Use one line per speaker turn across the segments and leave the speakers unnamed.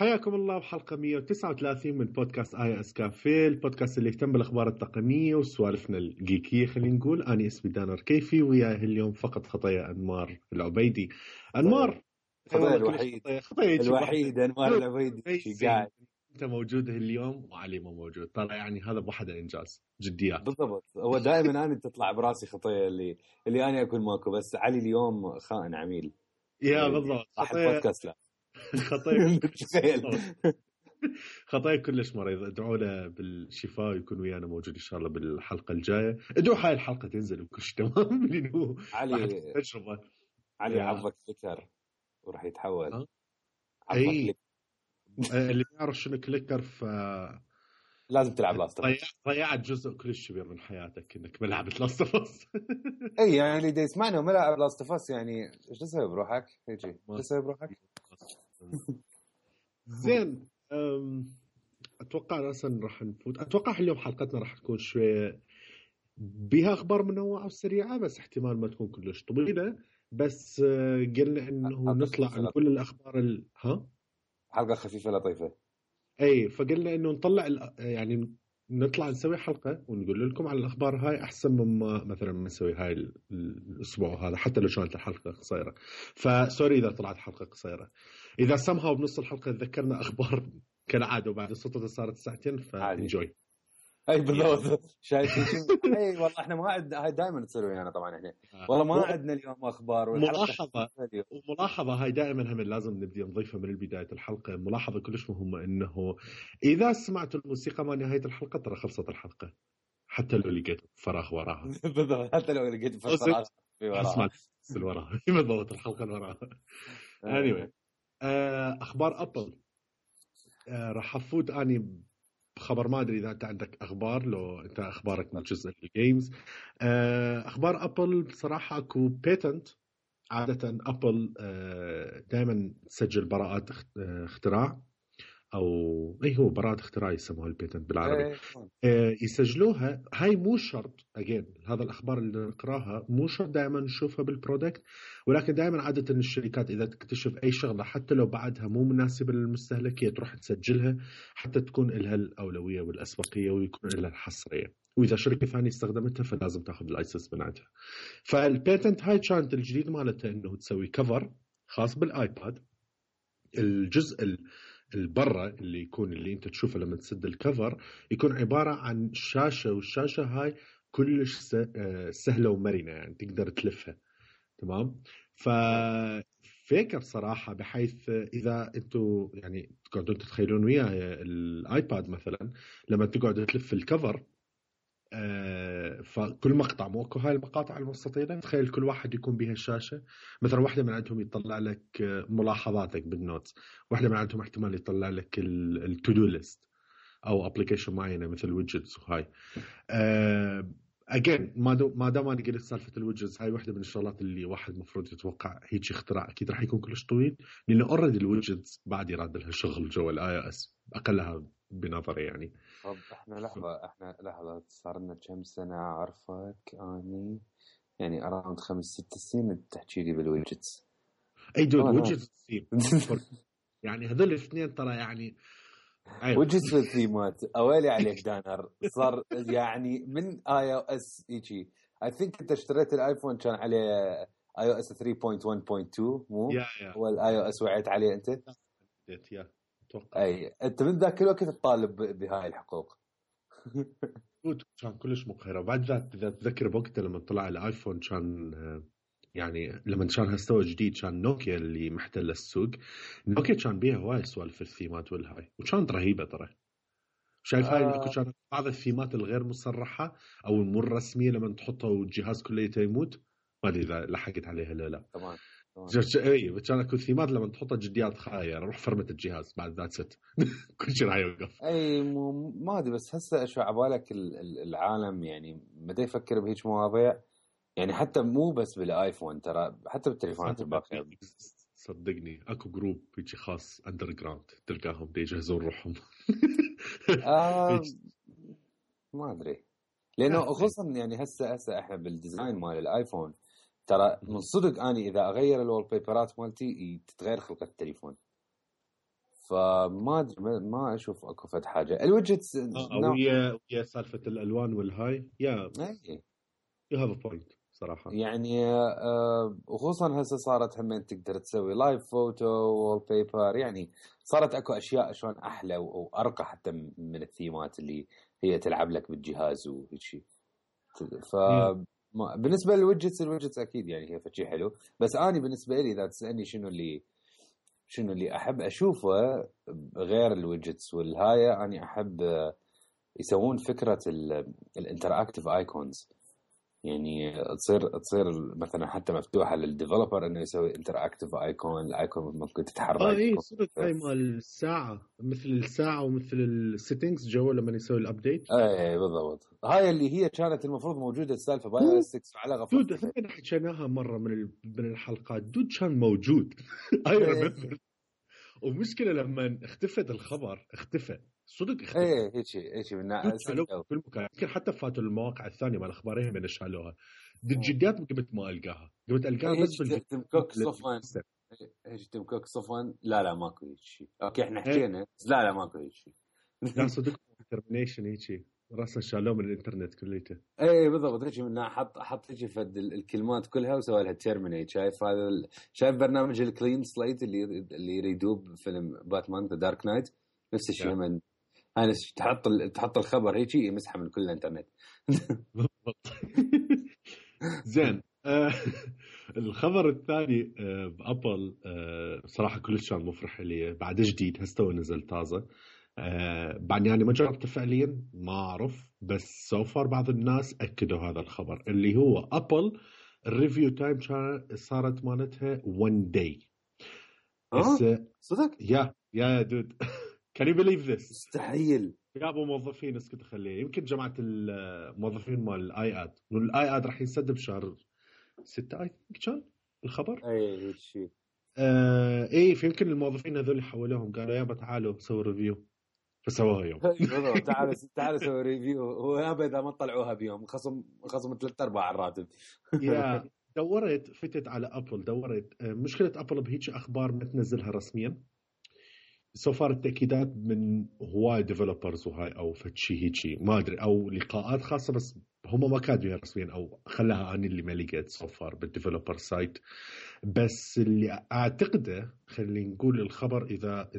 حياكم الله بحلقة 139 من بودكاست آي اس كافيه، البودكاست اللي يهتم بالأخبار التقنية وسوالفنا الجيكية. خلينا نقول أنا اسمي دانر كيفي، وياه اليوم فقط خطية أنمار العبيدي. أنمار
خطية الوحيد أنمار العبيدي قاعد.
أنت موجود اليوم وعلي ما موجود، ترى يعني هذا بوحده إنجاز جديات.
بالضبط، هو دائما أنا تطلع براسي خطية اللي أنا أكون ماكو، بس علي اليوم خائن عميل.
يا بالضبط
خطية لا
خطايا كلش مريض. ادعوا له بالشفاء ويكون ويانا موجود ان شاء الله بالحلقه الجايه. ادعوا هاي الحلقه تنزل وكل شيء تمام لانه
علي تجربه. علي عضك كليكر وراح يتحول.
اي اللي يعرف شنو كليكر
لازم تلعب لاست.
ضيعت جزء كلش كبير من حياتك انك ملعبة لاست فاس.
اي يعني اللي دا يسمعنا وملعب لاست فاس يعني ايش تسوي بروحك؟ هيجي ايش تسوي بروحك؟
زين، اتوقع اصلا راح نفوت. اتوقع اليوم حلقتنا راح تكون شويه بها اخبار منوعه وسريعه، بس احتمال ما تكون كلش طويله. بس قلنا انه نطلع نقول الاخبار
حلقه خفيفه لطيفه.
اي فقلنا انه نطلع يعني نطلع نسوي حلقه ونقول لكم على الاخبار هاي احسن مما مثلا ما نسوي هاي الاسبوع هذا، حتى لو كانت الحلقه قصيره. فسوري اذا طلعت حلقه قصيره. اذا سمها بنص الحلقه تذكرنا اخبار كالعاده وبعد الصوت صارت ساعتين فانجوي.
اي بالضبط. شايفين اي والله احنا ما عندنا هاي دائما تصير ويانا طبعا احنا والله ما عندنا اليوم اخبار.
ملاحظه هاي دائما هم لازم نبدي نضيفها من بدايه الحلقه. ملاحظه كلش مهمه انه اذا سمعت الموسيقى ما نهايه الحلقه ترى خلصت الحلقه، حتى لو لقيت فراغ وراها.
بالضبط، حتى لو لقيت فراغ في وراها
وراها بالضبط الحلقه اللي وراها. anyway اخبار ابل. راح افوت اني خبر، ما ادري اذا انت عندك اخبار، لو انت اخبارك من جزء الجيمز. اخبار ابل بصراحه اكو بيتنت. عاده ابل دائما تسجل براءات اختراع، او هو براءة اختراع يسموها البيتنت بالعربي. يسجلوها. هاي مو شرط اجين، هذا الاخبار اللي نقراها مو شرط دائما نشوفها بالبرودكت، ولكن دائما عاده الشركات اذا تكتشف اي شغله حتى لو بعدها مو مناسبه للمستهلك هي تروح تسجلها حتى تكون لها الاولويه والاسبقيه ويكون لها الحصريه، واذا شركه ثانيه استخدمتها فلازم تاخذ اللايسنس بتاعتها. فالبيتنت هاي كانت الجديد مالتها انه تسوي كفر خاص بالايباد. الجزء البرة اللي يكون اللي انت تشوفه لما تسد الكفر يكون عبارة عن شاشة، والشاشة هاي كلش سهلة ومرنة، يعني تقدر تلفها تمام. ففكرة بصراحة بحيث إذا أنتوا يعني تقعدون تتخيلون وياي الآيباد مثلا لما تقعد تلف الكفر، فكل مقطع مو اكو هاي المقاطع المستطيلة، تخيل كل واحد يكون بها الشاشة. مثلا واحدة من عندهم يطلع لك ملاحظاتك بالنوتس، واحدة من عندهم احتمال يطلع لك التو-دو ليست او ابلكيشن معينة مثل ويدجتس. وهاي اجين ما دام انا قلت سالفة الويدجتس، هاي واحدة من الشغلات اللي واحد مفروض يتوقع هيك اختراع اكيد راح يكون كلش طويل، لانه اوريدي الويدجتس بعد يراد لها شغل جوا الاي او اس اقلها بنظري يعني.
طب احنا لحظة صار لنا كم سنة عرفك اني يعني اراوند 5-6 سنين تحكي لي بالويدجتس.
اي دول ويدجتس يعني هذول الاثنين ترى يعني
ويدجتس والثيمات اويلي عليك دانر. صار يعني من اي او اس هيجي. اي ثينك انت اشتريت الايفون كان عليه اي او اس 3.1.2 مو هو الاي او اس وعيت عليه انت؟
يا اتوقع
اي انت من ذاك الوقت تطالب بهاي الحقوق.
كان كلش مقهرة. وبعد ذات اذا تذكر بوقتها لما طلع الايفون كان يعني لما كان هستوى جديد كان نوكيا اللي محتل السوق. نوكيا كان بيها هواي سوالف الثيمات والهاي وكانت رهيبة ترى. شايف هاي اكو كانت بعض الثيمات الغير مصرحة او المو رسمية لما تحطها والجهاز كله يموت. ما ادري اذا لحقت عليها لا
طبعا
اي كان اكو ثيمات لما تحطها جديات خاية روح فرمت الجهاز بعد ذات ست كل شيء راح يوقف.
اي ما ادري بس هسه شو عبالك العالم يعني متى يفكر بهيك مواضيع يعني حتى مو بس بالايفون ترى حتى بالتليفونات الباقيه.
صدقني اكو جروب بيجي خاص اندر جراوند تلقاهم بيجهزون روحهم.
ما ادري لانه خصوصا يعني هسه احنا بالديزاين مال الايفون ترى من صدق اني اذا اغير الوول بيبرات مالتي تتغير خلقه التليفون. فما ادري ما اشوف اكو فد حاجه. الويدجتس
ويا سالفه الالوان والهاي يو هاف ا بوينت صراحه.
يعني وخصوصا هسه صارت همين تقدر تسوي لايف فوتو وول بيبر، يعني صارت اكو اشياء شلون احلى وارقى حتى من الثيمات اللي هي تلعب لك بالجهاز وهيك. ف بالنسبه للويدجتس اكيد يعني هي شيء حلو. بس اني بالنسبه لي اذا تسالني شنو اللي احب اشوفه غير الويدجتس والهاي، اني احب يسوون فكره الانتراكتيف ايكونز، يعني تصير مثلا حتى مفتوحه للديفلوبر انه يسوي انتراكتيف ايكون، الايكون ممكن تتحرك.
اي صدق هاي مال الساعه، مثل الساعه ومثل السيتنجز جو لما يسوي الابديت.
اي بالضبط، هاي اللي هي كانت المفروض موجوده السالفه باي اس 6 على غفله.
دود احنا حكيناها مره من الحلقات، دود كان موجود اي ريمبر. ومشكله لما اختفت الخبر اختفى صدق اختفى.
هيك من
كل مكان، يمكن حتى فاتوا المواقع الثانيه مال اخبار من شالوها. الجديات قمت ما القاها، قمت القاها بس
تمكوك صفوان. ايش تمكوك صفوان؟ لا ماكو هيك شيء. اوكي احنا حكينا لا ماكو هيك شيء.
لا صدق ترمينيشن هيك راسا شالوه من الانترنت كليته.
اي بالضبط هيك، من حط هيك فد الكلمات كلها وسوى لها تيرمينيت. شايف برنامج الكلين سليت اللي يريدوب فيلم باتمان ذا دارك نايت، نفس الشيء. من انا تحط الخبر هيك يمسحه من كل الانترنت.
زين. الخبر الثاني بابل صراحه كلش كان مفرح لي، بعد جديد هسه نزل طازه. بعد يعني ما جربته فعليا ما اعرف، بس سوفر بعض الناس اكدوا هذا الخبر اللي هو ابل الريفيو تايم صارت مالتها 1 داي.
صدق؟
يا دود كان يو بليف ذس؟
مستحيل.
جابوا موظفين اسكت خليه، يمكن جماعه الموظفين مال الاي اد، والاي اد راح ينسدب شهر 6 اي كان الخبر.
اي شيء.
ايه فيمكن الموظفين هذول حولوهم قالوا يابا تعالوا سووا ريفيو، فسووها يوم.
تعالوا سووا ريفيو، ويابا اذا ما طلعوها بيوم خصم 3/4 الراتب.
يا فتت على ابل، دورت مشكله ابل بهيك اخبار ما تنزلها رسميا. سوفار التأكيدات من هواي ديفلوبرز وهاي او فتشي هيجي ما ادري، او لقاءات خاصه بس هم ما كاتبينها رسميا، او خلاها اني اللي ما لقيت سوفار بالديفلوبر سايت. بس اللي اعتقده خلينا نقول الخبر اذا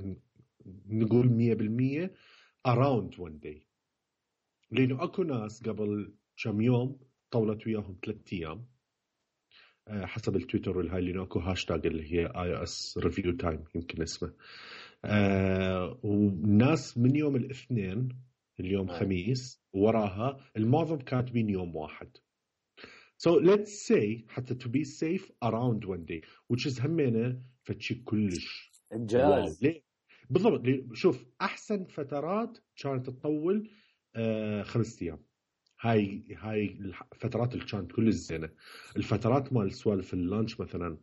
نقول 100% around 1 day، لانه اكو ناس قبل كم يوم طولت وياهم 3 ايام حسب التويتر والهاي، لانه اكو هاشتاج اللي هي iOS review time يمكن اسمه. والناس من يوم الاثنين اليوم خميس وراها المعظم كاتبين يوم واحد. So let's say حتى to be safe around 1 day which is همينه فتشي كلش
انجاز.
بالضبط. شوف احسن فترات كانت تطول 5 ايام. هاي الفترات اللي كانت كل الزينه. الفترات مال سوالف اللانش مثلا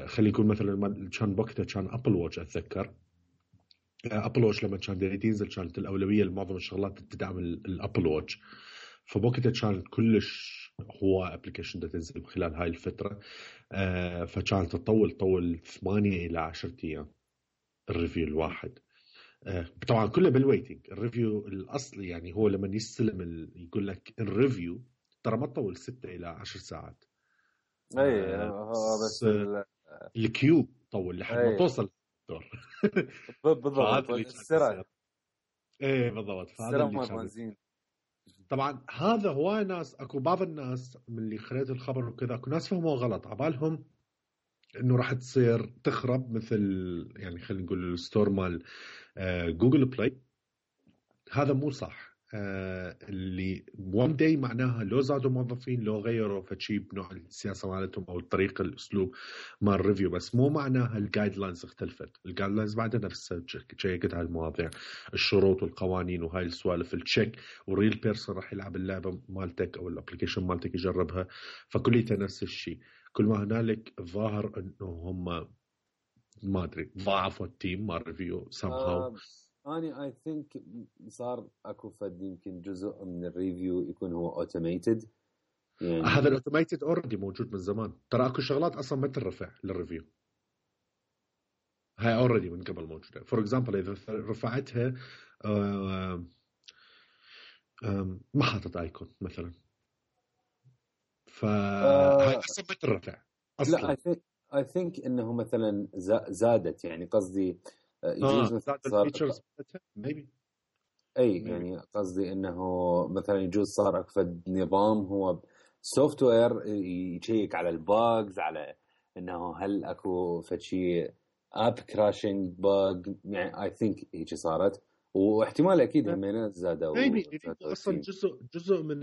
خلي يكون مثلا كان وقتها كان ابل واتش، اتذكر ابل واتش لما كان ينزل كانت الاولويه لمعظم الشغلات تدعم الابل واتش، فوقتها كان كلش هو ابلكيشن تنزل خلال هاي الفتره. فكانت تطول 8 إلى 10 ايام الريفيو الواحد. طبعا كله بالويتنج. الريفيو الاصلي يعني هو لما يستلم يقول لك الريفيو ترى ما تطول 6 إلى 10 ساعات.
بس
الكيو طول لحد ما توصل الدور.
بالضبط. السرعه
ايه بالضبط.
فهذا
طبعا هذا هواي ناس، اكو بعض الناس من اللي خليت الخبر وكذا اكو ناس فهموا غلط عبالهم انه راح تصير تخرب مثل يعني خلينا نقول الستور مال جوجل بلاي. هذا مو صح. اللي 1 داي معناها لو زادوا موظفين لو غيروا فشي بنوع السياسه مالتهم او الطريقه الاسلوب مال الريفيو، بس مو معناها الجايد لاينز اختلفت. الجايد لاينز بعدها نفسها تشيكت هاي المواضيع، الشروط والقوانين وهاي السوالف التشيك، وريل بيرسون راح يلعب اللعبه مالتك او الابلكيشن مالتك يجربها، فكليته نفس الشيء. كل ما هنالك الظاهر انه هم ما ادري ضاعفوا التيم مال ريفيو somehow.
أنا I think صار أكو فد يمكن جزء من الريفيو يكون هو automated.
يعني هذا الأوتوميتد already موجود من زمان، ترى أكو شغلات أصلا ما ترفع للريفيو. هاي اوريدي من قبل موجوده. فور اكزامبل اذا رفعتها ما حاطط ايكون مثلا، فهاي اصلا الرفع اصلا.
لا I think انه مثلا زادت، يعني قصدي يجوز
زاد
صار
الفيتشرز ميبي.
اي يعني قصدي انه مثلا يجوز صار اكفد نظام هو سوفت وير يشيك على الباجز، على انه هل اكو فشي اب كراشنج باج، يعني اي ثينك هيك صارت، واحتمال اكيد همينات زادوا
ميبي اصلا جزء من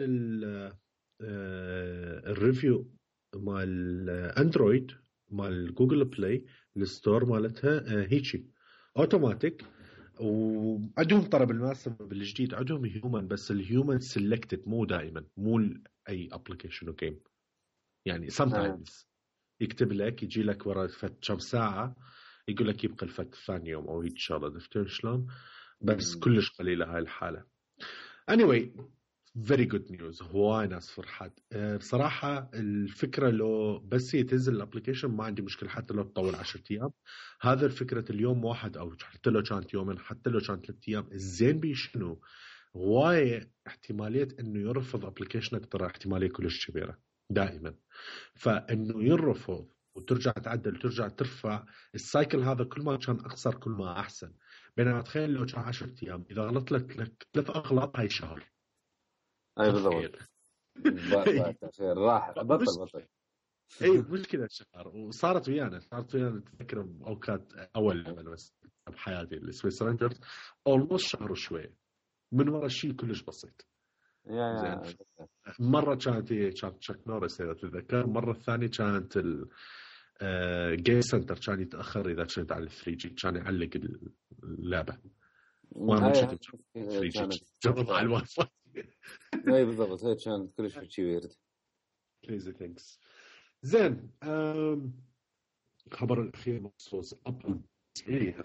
الريفيو مال اندرويد مال جوجل بلاي الستور مالتها هيجي اوتوماتيك، وعندهم ترى بالمناسبه بالجديد عندهم هيومن، بس الهيومن سيلكتد مو دائما، مو اي ابلكيشن وجيم، يعني sometimes يكتب لك يجي لك ورا كم ساعه يقول لك يبقى الفت ثاني يوم او هيك شغله، عرفت شلون؟ بس كلش قليله هاي الحاله. anyway very good news، هواي ناس فرحت بصراحة. الفكرة لو بس يتنزل الابليكيشن ما عندي مشكلة، حتى لو تطول 10 أيام. هذا الفكرة اليوم واحد أو حتى لو كانت يومين، حتى لو كانت 3 أيام، الزين بيشنو هواي احتمالية إنه يرفض ابليكيشنك، ترى احتمالية كلش كبيرة دائما. فإنه يرفض وترجع تعدل وترجع ترفع السايكل، هذا كل ما كان أقصر كل ما أحسن. بينما تخيل لو كان 10 أيام، إذا غلط لك 3 أغلاط هاي شهر.
اي بالضبط. خير راح بطل
اي مشكله شهر. وصارت ويانا تذكر اوقات اول لما بس بحياتي السويس رانجرز اولموست شهر وشوي من ورا شيء كلش بسيط. زين مره كانت تشاك نورس اذا تتذكر، مره الثانيه كانت الجيم سنتر كان يتاخر اذا كنت على 3 جي، كان يعلق اللعبه وانا ما كنت 3 جي جرب على الواي فاي.
اي بالضبط، هي كانت كلش شيء ويرد.
كريزي ثينكس. زين خبر الأخير بخصوص أبل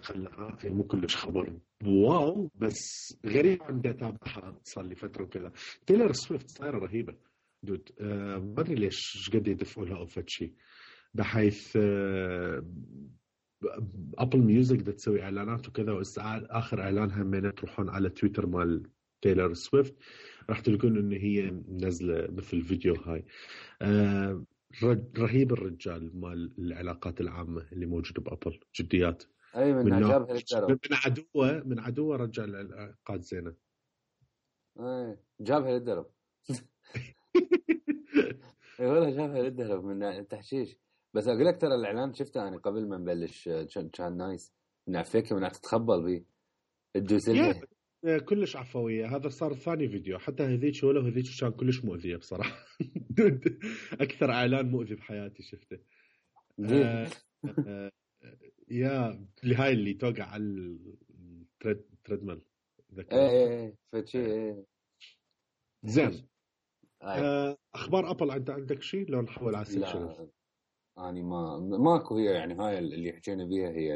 خلها مو كلش خبر واو، بس غريب عندي أتابعها صار لي فترة وكذا. تيلر سويفت صايرة رهيبة دود. ما أدري ليش قد يدفعوا لها أو فد شيء، بحيث أبل ميوزك دا تسوي إعلانات وكذا، آخر إعلانها من تروحون على تويتر مال تيلر سويفت راح تلقون إن هي نزلة مثل فيديو هاي. رهيب الرجال مال العلاقات العامة اللي موجود بأبل، جديات.
أي من عجابها للدرب،
من عدوه رجع العلاقات زينة.
أي جابها للدرب. اي والله جابها للدرب من التحشيش. بس اقول لك ترى الاعلان شفته انا قبل ما نبلش كان نايس، من عفيك من تتخبل بيه الدوسلة
كلش عفوية. هذا صار ثاني فيديو، حتى هذيك ولا هذيك كان كلش مؤذية بصراحة. أكثر إعلان مؤذي بحياتي شفته. يا هاي اللي توقع على التريدميل.
ايه فشي
زين. أخبار أبل أنت عندك شيء لو نحول على السكشن؟
لا أنا ماكو. هي يعني هاي اللي حكينا بيها هي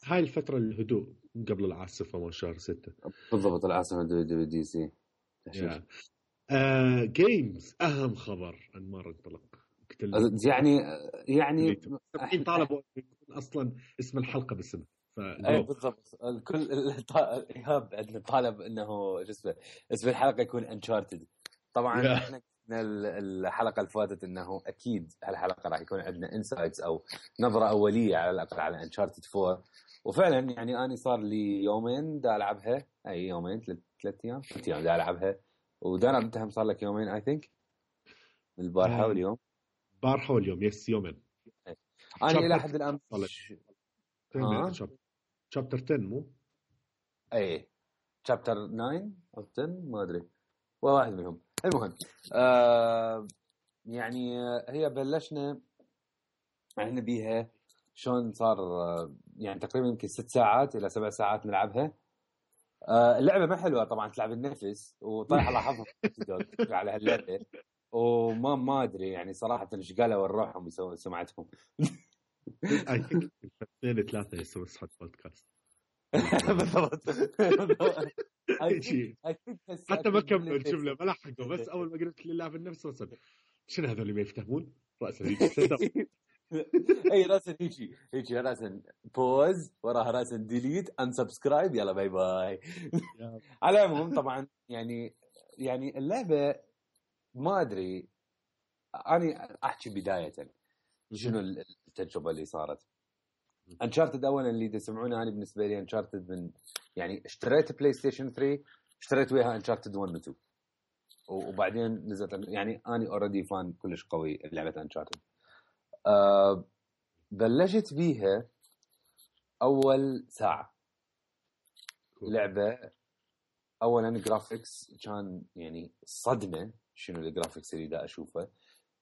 هاي الفترة الهدوء قبل العاصفة مال شهر 6
بالضبط. العاصفة دي سي
جيمز. أهم خبر أنمار انطلق
يعني
طالبوا يكون أصلا اسم الحلقة باسمه.
اي بالضبط. الكل ايهاب عندنا طالب انه اسم الحلقه يكون انشارتد. طبعا احنا الحلقه اللي فاتت انه اكيد هالحلقه راح يكون عندنا انسايتس او نظره اوليه على الاقل على انشارتد 4. وفعلا يعني انا صار لي يومين دا العبها، اي يومين 3 ايام دا العبها. ودانا انت هم صار لك يومين اي ثينك، البارحه واليوم.
البارحه واليوم يس يومين.
انا الى حد الان
شابتر 10 مو
اي شابتر 9 او 10 ما ادري، واحد منهم. المهم يعني هي بلشنا احنا بيها شلون صار يعني تقريبا يمكن 6 ساعات الى 7 ساعات نلعبها. اللعبه ما حلوه طبعا، تلعب النفس وطايح الله حظهم على هاللعبه. وما ادري يعني صراحه ايش قالوا ونروحهم يسوون سمعتهم.
اي ثينك 2 3 يسوون صوت بودكاست.
بالضبط.
حتى ما كملوا الجمله ما لحقوا، بس اول ما قلت لله في النفس وصل شنو هذول اللي ما يفهمون راسا.
اي راسا هيك راسا بوز وراها راسا ديليت انسبسكرايب يلا باي باي. على العموم طبعا يعني اللعبه ما ادري، انا احكي بدايه شنو التجربه اللي صارت. انشارتد اولا اللي تسمعونه، انا بالنسبه لي انشارتد من يعني اشتريت بلاي ستيشن 3 اشتريت وياها انشارتد 1 و 2 وبعدين نزلت يعني انا اوريدي فان كلش قوي لعبه انشارتد. بلشت بيها اول ساعه لعبه. اولا جرافيكس كان يعني صدمه شنو الجرافيكس اللي دا اشوفه.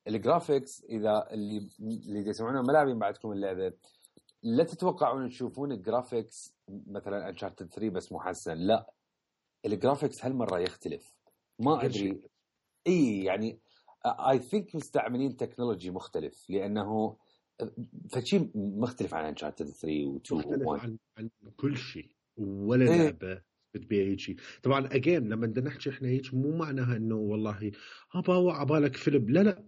الجرافيكس اذا اللي تسمعونه ملاعبين بعدكم اللعبه لا تتوقعون تشوفون الجرافيكس مثلا انشارتد 3 بس محسن، لا الجرافيكس هالمره يختلف. ما ادري اي يعني اي ثينك مستعملين تكنولوجي مختلف لانه فشي مختلف عن انشارتد 3 و 2
مختلف
و 1
عن كل شيء ولا لعبه بتبيع هيك شيء. طبعا اجين لما بدنا نحكي احنا هيك مو معناها انه والله ابا عبالك فيلم، لا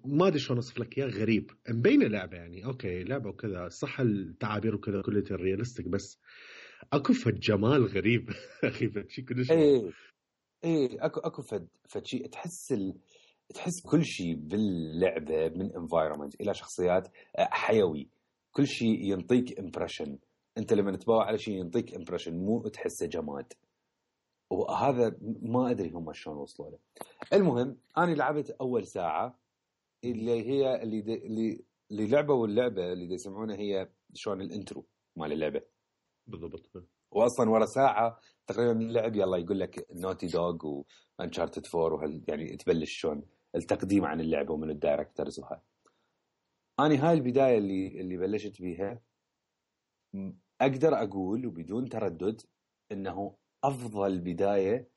ما ادري شلون اوصف لك اياه، غريب مبينه لعبه يعني اوكي لعبه وكذا صح التعابير وكذا كلها ريالستيك بس اكو فد جمال غريب اخي فشي كلش
اكو فد شيء تحس كل شيء باللعبه من انفايرمنت الى شخصيات حيوي، كل شيء ينطيك امبريشن. انت لما تتباوع على شيء ينطيك امبريشن مو تحسه جماد، وهذا ما ادري هم شلون وصلوا له. المهم انا لعبت اول ساعه اللي هي اللي لعبه، واللعبه اللي يسمعونها هي شلون الانترو مال اللعبه
بالضبط.
واصلا ورا ساعه تقريبا من اللعب يلا يقول لك نوتي دوغ وانشارتد 4 يعني تبلش شلون التقديم عن اللعبه ومن الدايركتورز وهاي. انا هاي البدايه اللي بلشت بيها اقدر اقول وبدون تردد انه افضل بدايه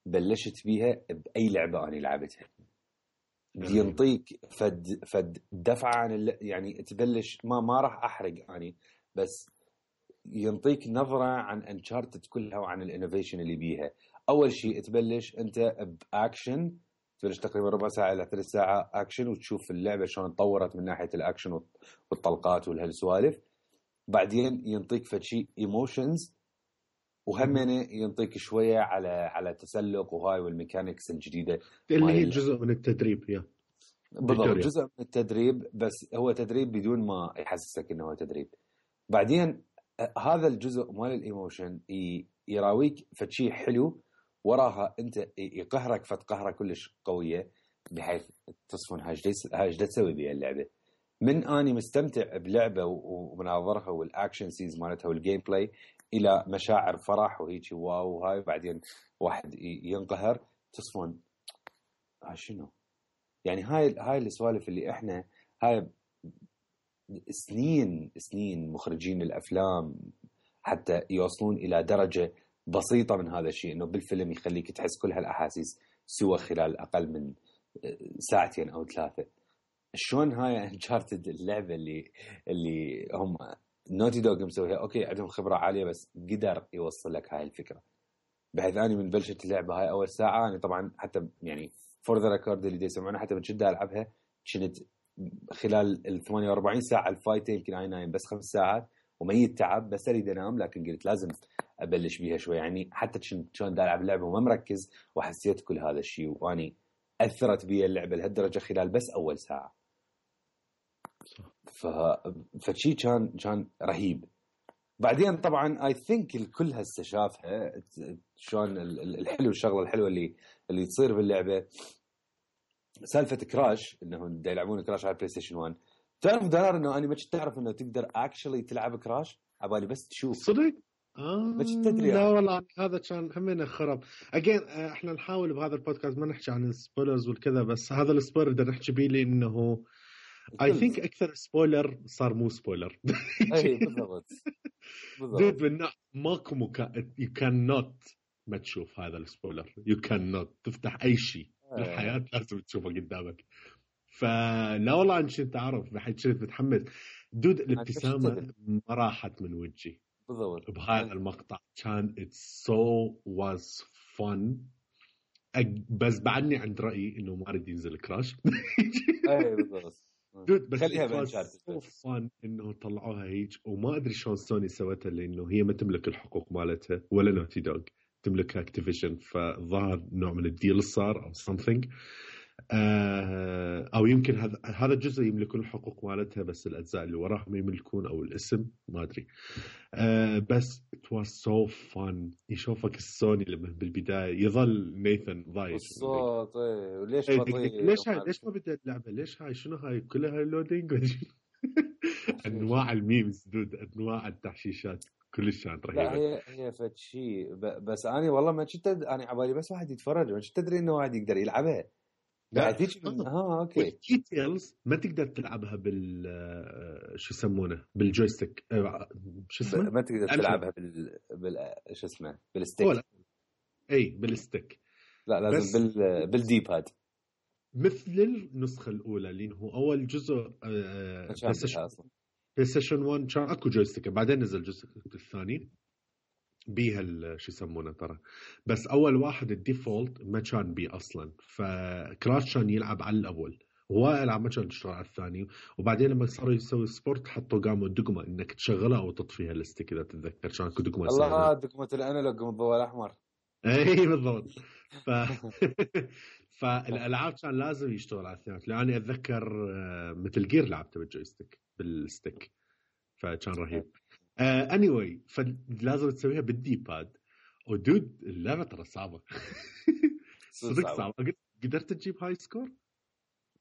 بلشت بيها باي لعبه انا لعبتها. ينطيك فد دفعه عن يعني تبلش ما راح احرق اني بس ينطيك نظرة عن انشارتد كلها وعن الانوفيشن اللي بيها. أول شيء تبلش أنت بأكشن، تبلش تقريبا ربع ساعة إلى 3 ساعة أكشن وتشوف اللعبة شلون تطورت من ناحية الأكشن والطلقات والهالسوالف. بعدين ينطيك فشي ايموشنز وهمينه ينطيك شوية على تسلق وهاي والميكانيكس الجديدة
اللي هي جزء من التدريب. يا
بالضبط جزء من التدريب بس هو تدريب بدون ما يحسسك انه هو تدريب. بعدين هذا الجزء مال الايموشن يراويك فشي حلو وراها انت يقهرك فتقهره كلش قويه بحيث تصفن هاي ايش تسوي بها اللعبه. من اني مستمتع بلعبه ومناظرها والاكشن سيز مالتها والجيم بلاي الى مشاعر فرح وهيك واو هاي، بعدين واحد ينقهر تصفن هاي شنو يعني. هاي السوالف اللي احنا هاي سنين مخرجين الافلام حتى يوصلون الى درجه بسيطه من هذا الشيء، انه بالفيلم يخليك تحس كل هالاحاسيس سوى خلال اقل من ساعتين او 3. شلون هاي انشارتد اللعبه اللي هم نوتي دوغ مسويها اوكي عندهم خبره عاليه بس قدر يوصل لك هاي الفكره. بحيث اني من بلشت اللعبه هاي اول ساعه انا طبعا حتى يعني فور ذا ريكورد اللي يسمعونه حتى من شده العبها كنت خلال ال 48 ساعه الفايت يمكن اي نايم بس 5 ساعات وميت تعب بس اريد انام، لكن قلت لازم ابلش بيها شوي يعني حتى شلون دا العب اللعبه وما مركز وحسيت كل هذا الشيء واني اثرت بي اللعبه لهالدرجه خلال بس اول ساعه. فشي كان رهيب. بعدين طبعا اي ثينك الكل هسه شافها شلون الحلو الشغله الحلوه اللي تصير باللعبه سالفه كراش، انه دا يلعبون كراش على بلاي ستيشن 1. تعرف دولار انه انا ما كنت اعرف انه تقدر اكشلي تلعب كراش عبالي بس تشوف
صدق.
ما كنت تدري
لا والله هذا كان همنا خرب. اجين احنا نحاول بهذا البودكاست ما نحكي عن السبويلرز والكذا، بس هذا السبويلر بدنا نحكي بيه لانه اي ثينك اكثر سبويلر صار مو سبويلر.
اي بالضبط
دود ماكو يو كان نوت ما تشوف هذا السبويلر، يو كان نوت تفتح اي شيء بالحياه لازم تشوفه قدامك. فلا والله انت عارف بحيث كنت متحمس دود. الابتسامه ما راحت من وجهي
بالضبط
بهذا المقطع. كان it so was fun. بس بعدني عند رأيي انه ما اريد ينزل كراش.
اي بالضبط
دود بس
خليها
it was
بانشارتد
so fun انه طلعوها هيك وما ادري شلون سوني سوتها لانه هي ما تملك الحقوق مالتها ولا نوتي دوغ تملكها اكتيفيشن فظهر نوع من الديل صار او something او يمكن هذا الجزء يملكون الحقوق مالتها بس الاجزاء اللي وراها ما يملكون او الاسم ما ادري بس it was so fun يشوفك السوني لما بالبدايه يظل نيثن ضايج
الصوت وليش بطيء
ليش ما بدأ اللعبه ليش هاي شنو هاي كلها هاي لودينج انواع الميمز دود انواع التحشيشات كلش كانت رهيبه.
لا هي فد شيء بس انا والله ما كنت انا عبالي بس واحد يتفرج ما كنت ادري انه واحد يقدر يلعبها.
لا
اوكي
الديتيلز ما تقدر تلعبها بال شو يسمونه بالجويستيك شو اسمه
ما تقدر تلعبها شو اسمه بالستيك
اي بالستيك
لا لازم بالدي باد
مثل النسخه الاولى اللي هو اول جزء بلاي ستيشن 1 كان اكو جويستيك بعدين نزل الجزء الثاني بيها شو يسمونه ترى بس اول واحد الديفولت ما كان بيه اصلا فكراش كان يلعب على الاول وهو العاب ما كان يشتغل على الثاني وبعدين لما صاروا يسوي سبورت حطوا قاموا دقمه انك تشغلها او تطفيها الستيك اذا تتذكر كان اكو دقمه
الله دقمه الانالوج الضوء الاحمر
اي بالضبط فالالعاب كان لازم يشتغل على الثاني لاني اتذكر مثل جير لعبته بالجويستيك بالستيك فكان رهيب anyway فلازم تسويها بالدي باد ودود اللعبه ترى صعبه صدق صعبه قدرت تجيب هاي سكور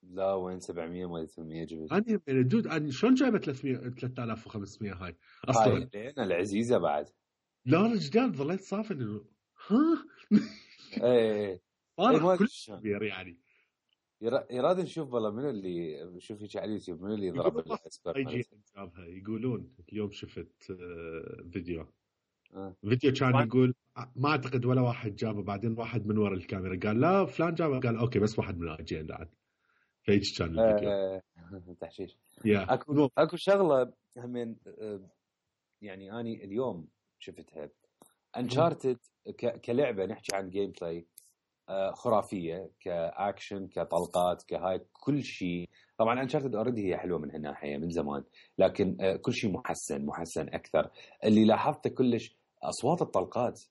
لا وين 700 ما 800 جبت
انا دود انا شلون جايبه 3500 هاي اصلا
هاي العزيزه بعد
لا رجال ظليت صافن انه ها
ايه
كل كبير يعني
يراد نشوف والله منو اللي شوف هيك على اليوتيوب منو اللي ضرب الاسبر
جابها يقولون اليوم شفت فيديو كان يقول ما اعتقد ولا واحد جابه بعدين واحد من ورا الكاميرا قال لا فلان جابه قال اوكي بس واحد من اجي بعد فيج كان الفيديو
تحشيش اكو شغله همين يعني اني اليوم شفتها انشارتد كلعبه نحكي عن جيم بلاي خرافيه كاكشن كطلقات كهاي كل شيء طبعا انشارتد اوريدي هي حلوه من هالناحيه من زمان لكن كل شيء محسن اكثر اللي لاحظته كلش اصوات الطلقات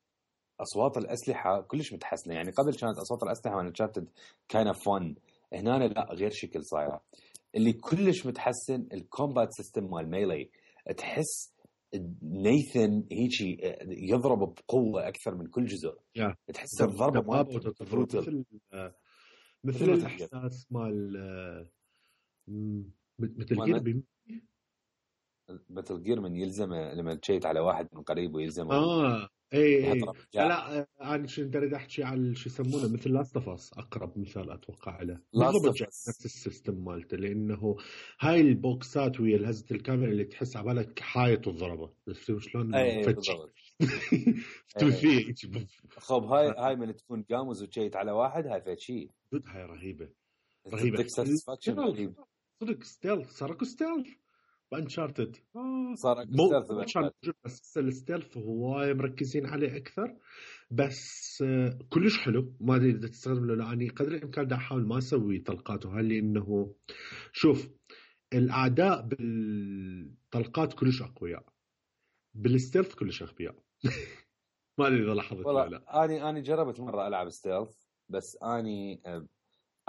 اصوات الاسلحه كلش متحسنه يعني قبل كانت اصوات الاسلحه من انشارتد كان فن هنا لا غير شكل صايره اللي كلش متحسن الكومبات سيستم مال ميلي تحس نيثن هيجي يضرب بقوه اكثر من كل جزء تحس الضربه مالته
مثل الاحساس مال
مثل جير من يلزمه لما تشيت على واحد من قريب ويلزمه
اي لا انا شو بدي احكي على شو يسمونه مثل لاست اوف اس اقرب مثال اتوقع له بالضبط نفس السيستم مالته لانه هاي البوكسات ويا الهزه الكاميرا اللي تحس على بالك حايط الضربه بس شلون
بالضبط خب هاي من تكون قامز وتشيت على واحد هاي فد شيء
هاي رهيبه صدق ستيلث صار ستيلث بانشارتد
صار
بس الستيلث هواي مركزين عليه اكثر بس كلش حلو ما ادري اذا تستخدم له لاني قدر الامكان دا احاول ما اسوي طلقات وهاي لانه شوف الاعداء بالطلقات كلش اقوياء بالستيلث كلش اغبياء ما ادري اذا لاحظت ولا
لا اني جربت مره العب ستيلث بس اني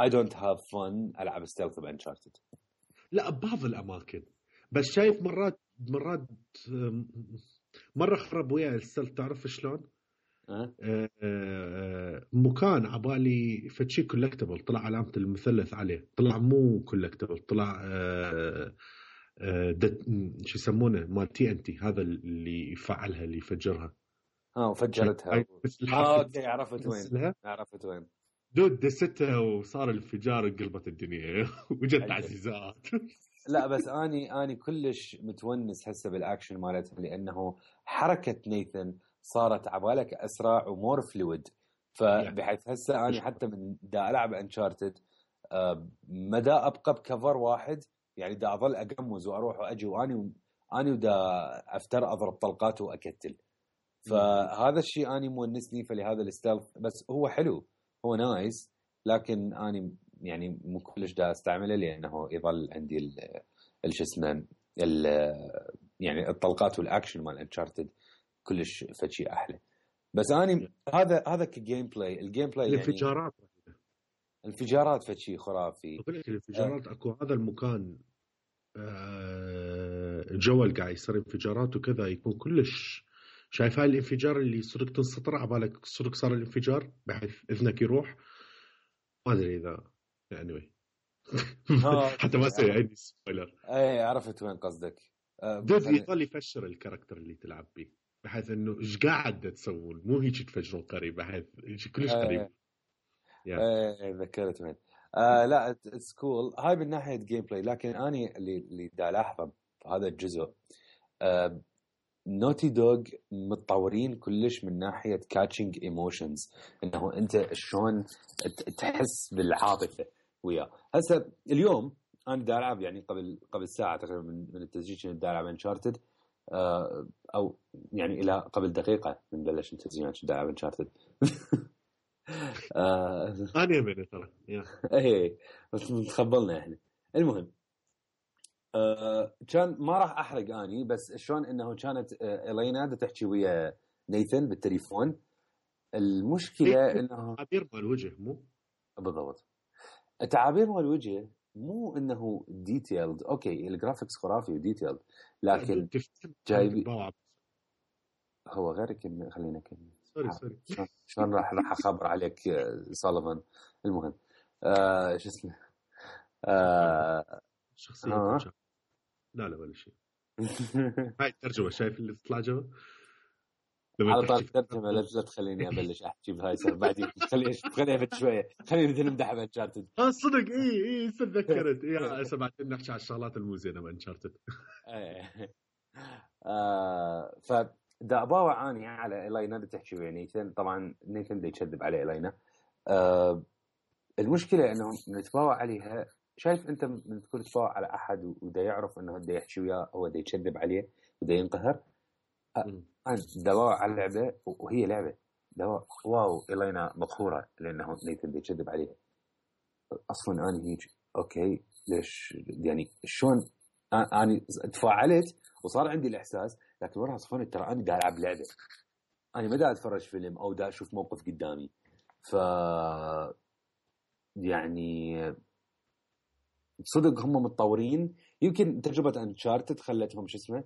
I don't have fun العب ستيلث بانشارتد
لا ببعض الاماكن بس شايف مرات مرة خرب ويا الستيلث تعرف شلون مكان عبالي فتشي كولكتبل طلع علامة المثلث عليه طلع مو كولكتبل طلع شو يسمونه مال TNT هذا اللي يفعلها اللي يفجرها
وفجرتها اوكي عرفت وين
دود دستها وصار الانفجار قلبت الدنيا وجت عزيزات
لا بس اني كلش متونس هسه بالاكشن مالتها لانه حركه نيثن صارت عبالك اسرع ومور فلويد فبحيث هسه اني حتى من دا العب انشارتد ما دا ابقى بكفر واحد يعني دا اظل اقمز واروح واجي واني ودا افتر اضرب طلقات واكتل فهذا الشيء اني مونسني فلهذا الستيلث بس هو حلو هو نايس لكن اني يعني مو كلش دا استعمله لانه يظل عندي شو اسمه يعني الطلقات والاكشن مال انشارتد كلش فشي احلى. بس اني هذا كجيم بلاي، الجيم بلاي
الانفجارات
يعني الانفجارات فشي خرافي.
اقول لك الانفجارات اكو هذا المكان جوال قاعد يصير انفجارات وكذا يكون كلش شايف هاي الانفجار اللي يصيرك تنسطر عبالك صدق صار الانفجار بحيث اذنك يروح. ما ادري اذا يعني حتى ما سوي عندي سبويلر.
اي عرفت وين قصدك.
دود يظل يفشر الكاركتر اللي تلعب به بحيث انه ايش قاعد تسوون مو هيك تفجرون قريب بحيث كلش قريب.
ذكرت وين. لا سكول هاي من ناحيه جيم بلاي. لكن اني اللي دا الاحظه في هذا الجزء نوتي دوغ متطورين كلش من ناحيه كاتشنج ايموشنز، انه انت شلون تحس بالعاطفه وياه. هسه اليوم انا دا العب يعني قبل ساعه تقريبا من التسجيل كنت دا العب انشارتد، او يعني الى قبل دقيقه من بلش التسجيل كنت دا العب انشارتد.
انا من ترى
ايه بس تخبلنا احنا. المهم كان ما راح احرق اني، بس شلون انه كانت إلينا تحكي ويا نيثن بالتليفون. المشكله انه
تعابير مال الوجه مو
بالضبط، التعابير مال الوجه مو انه ديتيلد. اوكي الجرافيكس خرافي وديتيلد، لكن جايبي هو غيرك. خلينا نكمل.
سوري
شلون راح اخبر عليك سوليفان. المهم شو اسمه
شخصية لا ولا شيء. هاي الترجمة شايف اللي تطلع جوا
على طول الترجمة. لا تخليني ابلش احكي بهاي سر بعدين خليها بد شوية. خلينا مثل نمدح بانشارتد.
صدق اي تذكرت هسه بعدين نحكي على الشغلات المو زينة بانشارتد.
فدا باوع اني على إلينا تحكي ويا نيثن. طبعا نيثن دا يكذب عليه إلينا. المشكلة انه نتباوع عليها. شايف انت من تكون تتباوع على احد ودا يعرف انه دا يحكي وياه هو دا يكذب عليه ودا ينقهر. انا دواء على اللعبه وهي لعبه دواء واو إلينا مقهوره لانه نيثن دا يكذب عليها. اصلا انا هيك اوكي ليش يعني شلون انا تفاعلت وصار عندي الاحساس، لكن وراها صفنت ترى انا دا العب لعبه، انا ما دا اتفرج فيلم او دا اشوف موقف قدامي. ف يعني صدق هم متطورين. يمكن تجربه انشارتد خلتهم شو اسمه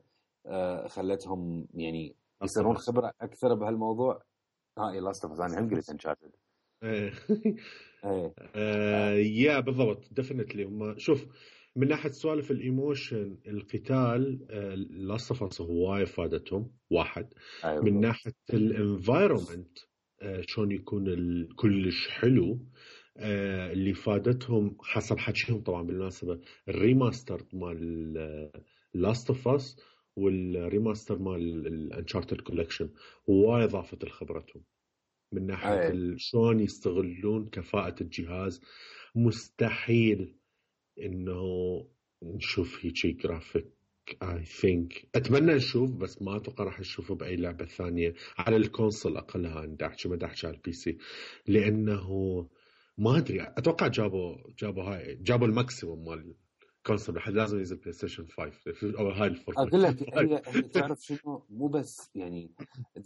خلتهم يعني يصيرون خبره اكثر بهالموضوع. لاست اوف اس انا هم قلت انشارتد.
يا بالضبط ديفينتلي. هم شوف من ناحيه سوالف الايموشن القتال لاست اوف اس هواي فادتهم واحد. من ناحيه الانفايرمنت شلون يكون كلش حلو اللي فادتهم حسب حكيهم طبعا بالمناسبه الريماستر مال لاست اوف اس والريماستر مال الانشارتد كولكشن هواي اضافت لخبرتهم من ناحيه شلون يستغلون كفاءه الجهاز. مستحيل انه نشوف هيك جرافيك اي ثينك. اتمنى نشوف بس ما اتوقع راح نشوفه باي لعبه ثانيه على الكونسول اقلها. ندحكي ما دحكي على البي سي لانه ما ادري. اتوقع جابوا الماكسيموم مال كونسول لحد لازم ينزل بلاي ستيشن 5 او هاي الفرصه.
اقول لك هي تعرف شنو مو بس يعني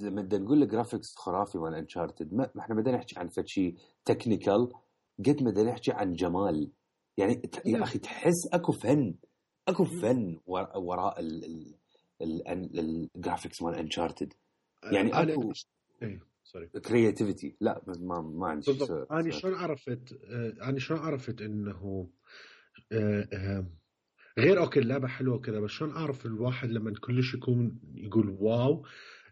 لما نقول لك جرافيكس خرافي مال انشارتد ما احنا بدنا نحكي عن فشي تكنيكال قد ما بدنا نحكي عن جمال. يعني يا اخي تحس اكو فن وراء الجرافيكس مال انشارتد. يعني اكو
سوري
كرياتيفيتي. لا ما عندي شيء.
انا شلون عرفت انه غير اوكي اللعبه حلوه كذا بس شلون اعرف الواحد لما كلش يكون يقول واو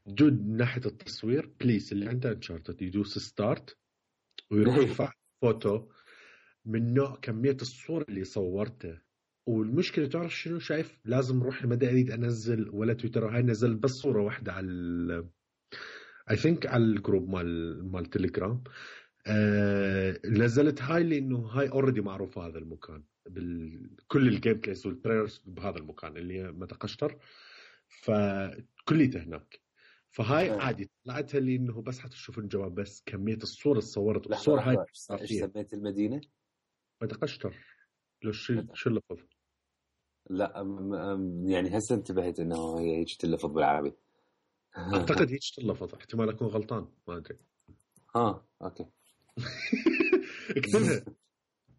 جد من ناحيه التصوير بليز اللي عنده انشارتد يدوس ستارت ويروح يرفع فوتو من نوع كميه الصور اللي صورته. والمشكله تعرف شنو شايف لازم اروح ما اريد انزل ولا تويتر هاي نزل بس صوره واحده على اي ثينك على الجروب مال تليجرام. نزلت هاي لانه هاي اوريدي معروف هذا المكان كل الجيم بلايز والتريلرز بهذا المكان اللي هي متقشتر فكليته هناك. فهاي عادي طلعتها لي انه بس حتشوف الجواب بس كميه الصور اللي صورت الصور هاي
ايش سميت المدينه
مدغشقر لو شو اللفظ؟
لا يعني هسه انتبهت انه هي هيك تلفظ بالعربي.
اعتقد هيك تلفظ، احتمال اكون غلطان ما ادري.
اوكي.
اكتبها.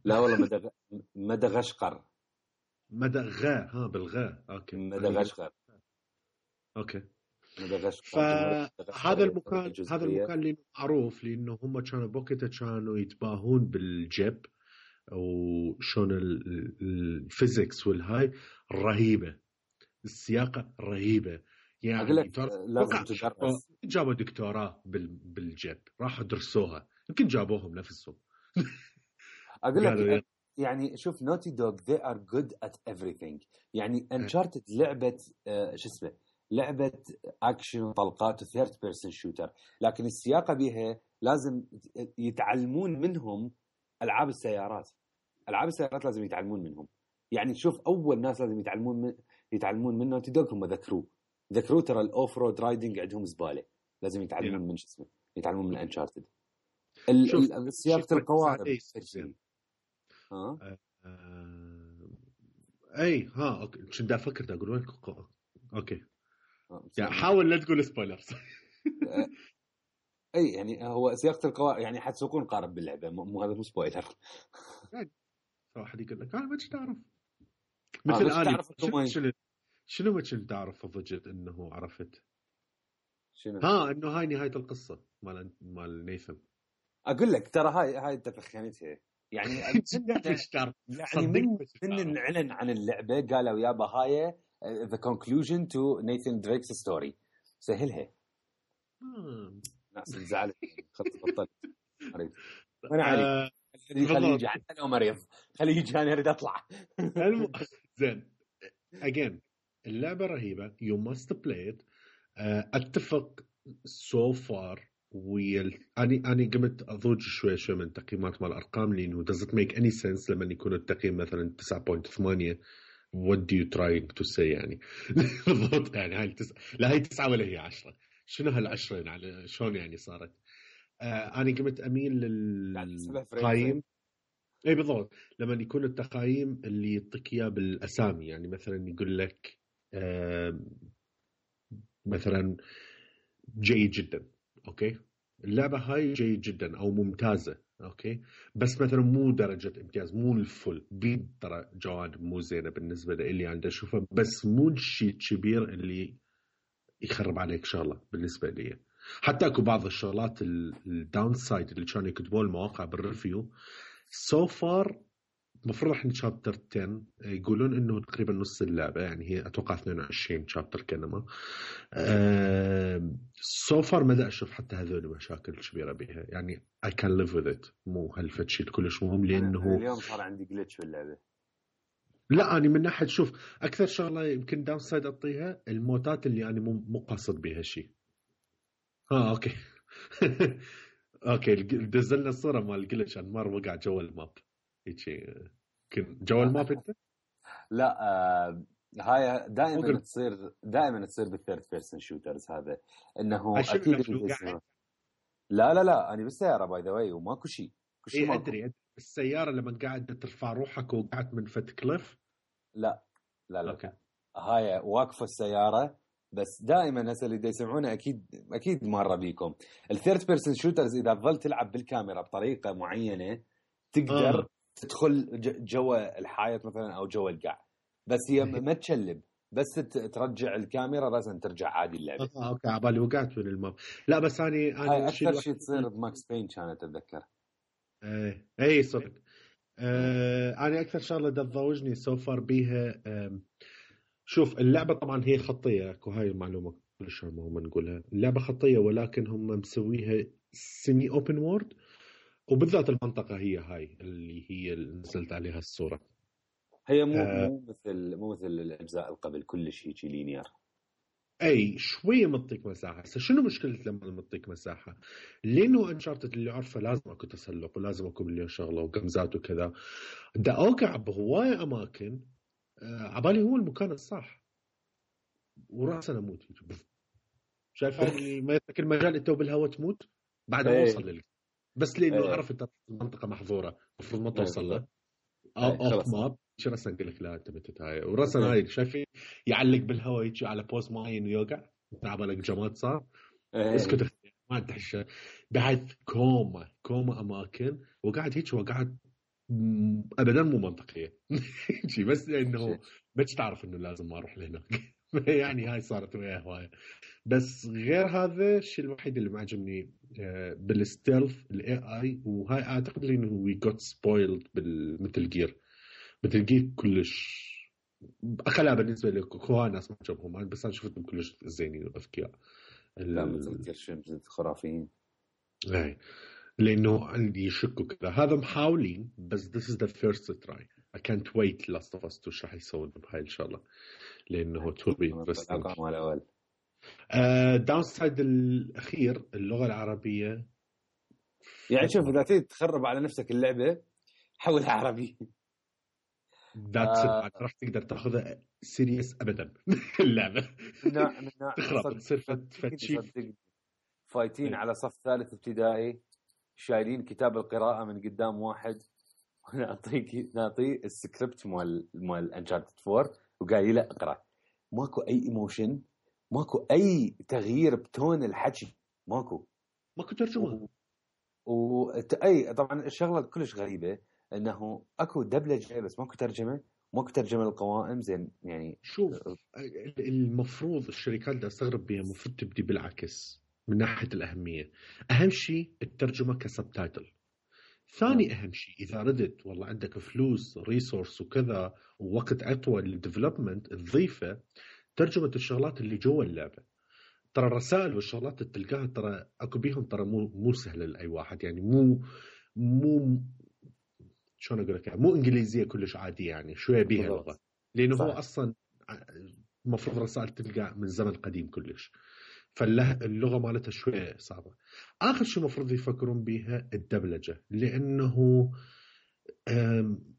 لا والله مدغشقر.
مدغا بالغاء. اوكي
مدغشقر.
اوكي.
مدغشقر.
فهذا المكان اللي معروف لانه هم كانوا بوقتها كانوا يتباهون بالجيب وشون الفيزيكس والهاي رهيبه، السياقه رهيبه يعني.
اقول لك لازم تدرس.
جابوا دكتوراه بالجيب، راحوا درسوها، يمكن جابوهم نفسهم.
اقول لك يعني شوف نوتي دوغ they are good at everything. يعني انشارتد لعبه شو اسمه، لعبه اكشن طلقات وثيرد بيرسون شوتر، لكن السياقه بيها لازم يتعلمون منهم. العاب السيارات لازم يتعلمون منهم. يعني شوف اول ناس لازم يتعلمون من نوتي دوغ هم ذكروا ترى الاوف رود رايدنج عندهم زباله، لازم يتعلمون من شو اسمه، يتعلمون من انشارتد. سياقه القوارب
اي اوكي. كنت افكر اقول لك اوكي يعني حاول لا تقول سبويلرز.
اي يعني هو سياقه القوارب يعني حتسوقون قارب باللعبه، مو هذا مو سبويلر.
واحد يقول لك انا ما كنت اعرف مثل
تعرف
شنو ما كنت اعرف ضجت انه عرفت
شنو
انه هاي نهايه القصه مال نيثن.
اقول لك ترى هاي تفخمتها يعني. يعني من اعلن عن اللعبه قالوا يابا هاي the conclusion to Nathan Drake's story. سهلها. ناس زعلت بطلت مريض. انا علي خليجي حتى لو مريض خليجي انا اريد اطلع.
زين again اللعبه رهيبه you must play it. اتفق so far اني قمت اضوج شوي من تقييمات مال الارقام لانه doesn't make any sense لما يكون التقييم مثلا 9.8 what do you trying to say يعني. بالضبط يعني هاي لا هي 9 ولا هي 10. شنو هال10 يعني شلون يعني صارت. اني قمت اميل للتقييم. اي بالضبط لما يكون التقييم اللي يعطيك اياه بالاسامي، يعني مثلا يقول لك مثلا جيد جدا اوكي، اللعبه هاي جيد جدا او ممتازه اوكي، بس مثلا مو درجه امتياز، مو الفل، بيد ترى جوانب مو زينه بالنسبه لي عند اشوفها، بس مو الشيء كبير اللي يخرب عليك شغله بالنسبه لي. حتى اكو بعض الشغلات الداون سايد اللي كانوا يكتبوا المواقع بالريفيو سو فار. المفروض احنا شابتر 10 يقولون انه تقريبا نص اللعبه، يعني هي اتوقع 22 شابتر كلمه. سو فار ما اشوف حتى هذول مشاكل كبيره بها، يعني I can live with it. مو هالفتشي كلش مهم لانه
اليوم صار عندي جلitch باللعبه.
لا أنا من ناحيه شوف اكثر شغله يمكن داون سايد اعطيها الموتات اللي انا مو قاصد بها شيء. اوكي. اوكي دزلنا الصوره مال الجلتش انمار وقع جوا الماب هيك جوا الماب انت.
لا هاي دائما تصير بالثيرد بيرسون شوترز هذا انه اكيد لا انا بالسياره باي ذا واي وماكو شيء
ادري السياره لما قاعد ترفع روحك وقعدت من فت كليف.
لا أوكي. هاي واقفه السياره بس دائما هسه اللي يسمعونه اكيد مره بيكم الثيرد بيرسون شوترز اذا ظلت تلعب بالكاميرا بطريقه معينه تقدر تدخل جوا الحائط مثلا او جوا القاع، بس هي ما تشلب، بس ترجع الكاميرا راسا ترجع عادي اللعبه.
اوكي عبالي وقعت من الماب. لا بس انا
اكثر شيء تصير بماكس بين كانت اتذكر.
اي صدق. انا اكثر شغله تضوجني سوفر بيها شوف اللعبه طبعا هي خطيه، وهاي المعلومه كلش مهمه نقولها، اللعبه خطيه ولكن هم مسويها سيمي اوبن وورد، وبالذات المنطقه هي هاي اللي نزلت عليها الصوره.
هي مو مثل الاجزاء قبل كل شيء لينير.
اي شويه مطيك مساحه. شنو مشكله لما مطيك مساحه؟ لانه انشارتد اللي عارفه لازم اكو تسلق ولازم اكو مليون شغله وقمزات وكذا، دا اوقع بهوايه اماكن عبالي هو المكان الصح وراسا اموت. شايف اللي ما يترك المجال انت بالهواء تموت بعد ما اوصل لك، بس لانه عرفت المنطقه محظوره المفروض ما توصل له اوف ماب شو رسم اقول لك لا انت متت هاي ورسم هاي شايفين يعلق بالهواء يجي على بوز معين ويوقع تعبالك جماد صار اسكت ما تحش بحيث كوما اماكن وقاعد هيك وقاعد ابدا مو منطقيه شي بس انه بس تعرف انه لازم ما اروح لهناك يعني هاي صارت وياه هوايه بس غير هذا الشيء الوحيد اللي ما عجبني بالستيلث الاي اي وهاي اعتقد انه وي جوت سبويلد بالمثل جير كلش اخلا بالنسبه لي كوها ناس ما عجبهم بس انا شفتهم كلش زينين واذكياء
لا مثل جير شمس خرافيين
اي لانه عندي يشكوا كذا هذا محاولين بس this is the first try I can't wait Last of Us 2 شو راح يسوون بهاي ان شاء الله لانه to be interesting داون سايد الاخير اللغه العربيه
يعني شوف اذا تريد تخرب على نفسك اللعبه حولها عربي
راح تقدر تاخذها سيريس ابدا اللعبه
من
تخرب تصير فتشي
فايتين على صف ثالث ابتدائي شايلين كتاب القراءه من قدام واحد نعطيه السكريبت مال انشارتد 4 وقال له اقرا ماكو اي ايموشن ماكو اي تغيير بتون الحكي ماكو
ترجمه
اي طبعا الشغله كلش غريبه انه اكو دبلجه بس ماكو ترجمه للقوائم زين يعني
شوف المفروض الشركات اللي استغرب بها المفروض تبدي بالعكس من ناحيه الاهميه اهم شيء الترجمه كسبتايتل ثاني أهم شيء إذا ردت والله عندك فلوس ريسورس وكذا ووقت أطول للديفلوبمنت تضيفه ترجمة الشغلات اللي جوا اللعبة ترى الرسائل والشغلات اللي تلقاها ترى أكو بيهم ترى مو سهلة لأي واحد يعني مو شلون أقول لك مو إنجليزية كلش عادية يعني شوية بيها لغة لأنه هو أصلا المفروض رسائل تلقى من زمن قديم كلش فاللغة مالتها شوية صعبة آخر شيء مفروض يفكرون بيها الدبلجة لأنه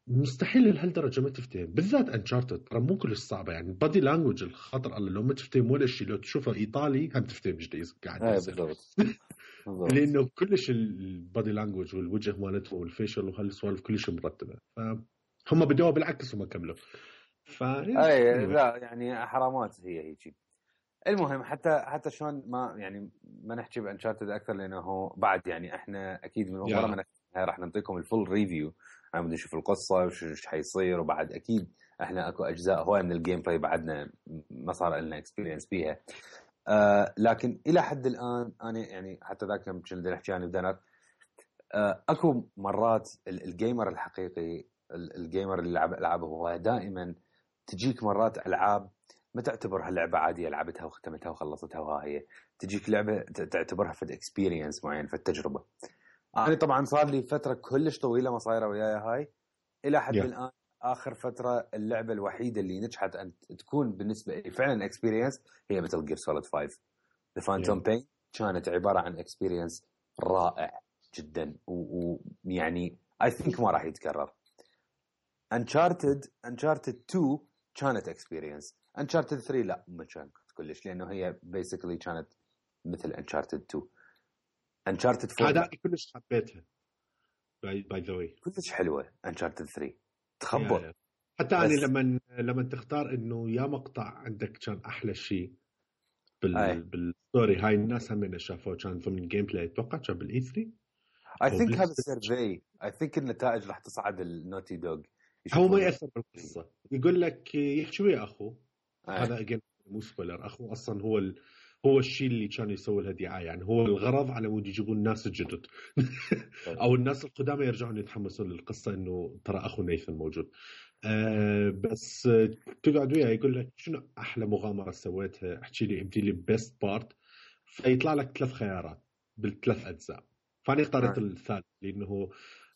مستحيل لهالدرجة ما تفتهم بالذات أنشارتد ترى مو كلش صعبة يعني بادي لانجوج الخطر الله لو ما تفتهم ولا شيء لو تشوفه إيطالي هم تفتهم ايش قاعد يصير لأنه كلش البادي لانجوج والوجه مالته والفيشل وهالسوالف كلش مرتبة فهم بدأوا بالعكس وما كملوا
أي لا يعني حرامات هي هيك المهم حتى شلون ما نحكي بانشارتد اكثر لانه بعد يعني احنا اكيد من ورا ما راح نعطيكم الفول ريفيو عم نشوف القصه وش حيصير وبعد اكيد احنا اكو اجزاء هواي من الجيم بلاي بعدنا ما صار لنا اكسبيرينس بيها لكن الى حد الان انا يعني حتى ذاك يوم كنت نحكي عن بدنر اكو مرات الجيمر الحقيقي الجيمر اللي يلعب العابه هو دائما تجيك مرات العاب ما تعتبرها لعبة عادية لعبتها وختمتها وخلصتها وها هي تجيك لعبة تعتبرها فد اكسبيرينس معين فد تجربة أنا طبعا صار لي فترة كلش طويلة ما صايرة وياي هاي إلى حد الآن آخر فترة اللعبة الوحيدة اللي نجحت أن تكون بالنسبة لي فعلا اكسبيرينس هي Metal Gear Solid 5 The Phantom Pain كانت عبارة عن اكسبيرينس رائع جدا ويعني I think ما راح يتكرر Uncharted 2 كانت اكسبيرينس Uncharted 3 لا ما كانت كلش لأنه هي basically كانت مثل Uncharted 2 Uncharted 4
هذا كلش حبيتها by the way
كلش حلوة Uncharted 3 تخبط
حتى أنا لما تختار إنه يا مقطع عندك كان أحلى شيء بالستوري هاي الناس هم شافوه كان ضمن الجيم بلاي أتوقع كان بالإي 3
I think هذا السيرفي I think النتائج راح تصعد النوتي دوغ
هو ما يأثر بالقصة يقول لك يحكي ويا أخوه هذا أجين مو سبويلر أخوه أصلا هو الشيء اللي كان يسوي لها دعاية يعني هو الغرض على مود يجيبون الناس الجدد أو الناس القدامى يرجعون يتحمسون للقصة إنه ترى أخو نيثن موجود بس تقعد وياه يقول لك شنو أحلى مغامرة سويتها احكي لي ابدي لي بيست بارت فيطلع لك 3 خيارات بالثلاث أجزاء فأنا اخترت الثالث لأنه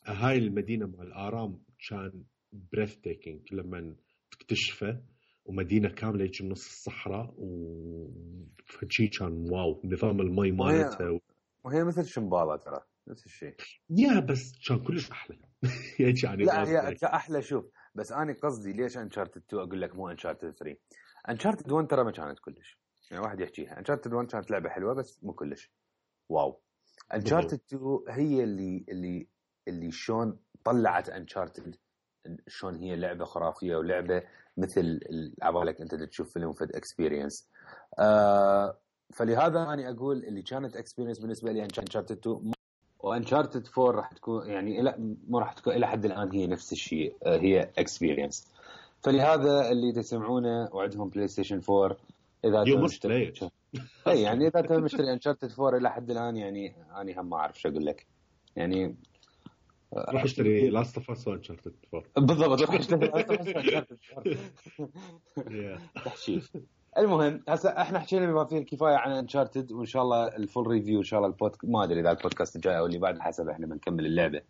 هاي المدينة مع الآرام كان بريث تيكينج لما تكتشفه ومدينة كاملة يجي نص الصحراء وفشي كان واو نظام المي مالتها
وهي مثل شمبالة ترى نفس الشيء
بس كان كلش أحلى يعني
لا هي أحلى شوف بس أنا قصدي ليش Uncharted 2 أقول لك مو Uncharted 3 Uncharted 1 ترى ما كانت كلش يعني واحد يحكيها Uncharted 1 كانت لعبة حلوة بس مو كلش واو Uncharted 2 هي اللي شون طلعت Uncharted شلون هي لعبه خرافيه ولعبه مثل عبالك انت تشوف فيلم فد اكسبيرينس. فلهذا انا اقول اللي كانت اكسبيرينس بالنسبه لي انشارتد 2 وانشارتد 4 راح تكون يعني لا ما راح تكون الى حد الان هي نفس الشيء، هي اكسبيرينس. فلهذا اللي تسمعونه وعندهم بلاي ستيشن 4 اذا
يو مشتري
اي يعني اذا انت مشتري انشارتد 4 الى حد الان يعني انا هم ما اعرف شو اقول لك يعني
راح اشتري لاست اوف اس وانشارتد 4
بالضبط راح اشتري لاست اوف اس وانشارتد 4 تحشي. المهم هسه احنا حكينا بما فيه الكفايه عن انشارتد وان شاء الله الفول ريفيو ان شاء الله ما ادري اذا البودكاست الجاي او اللي بعد حسب احنا بنكمل اللعبه.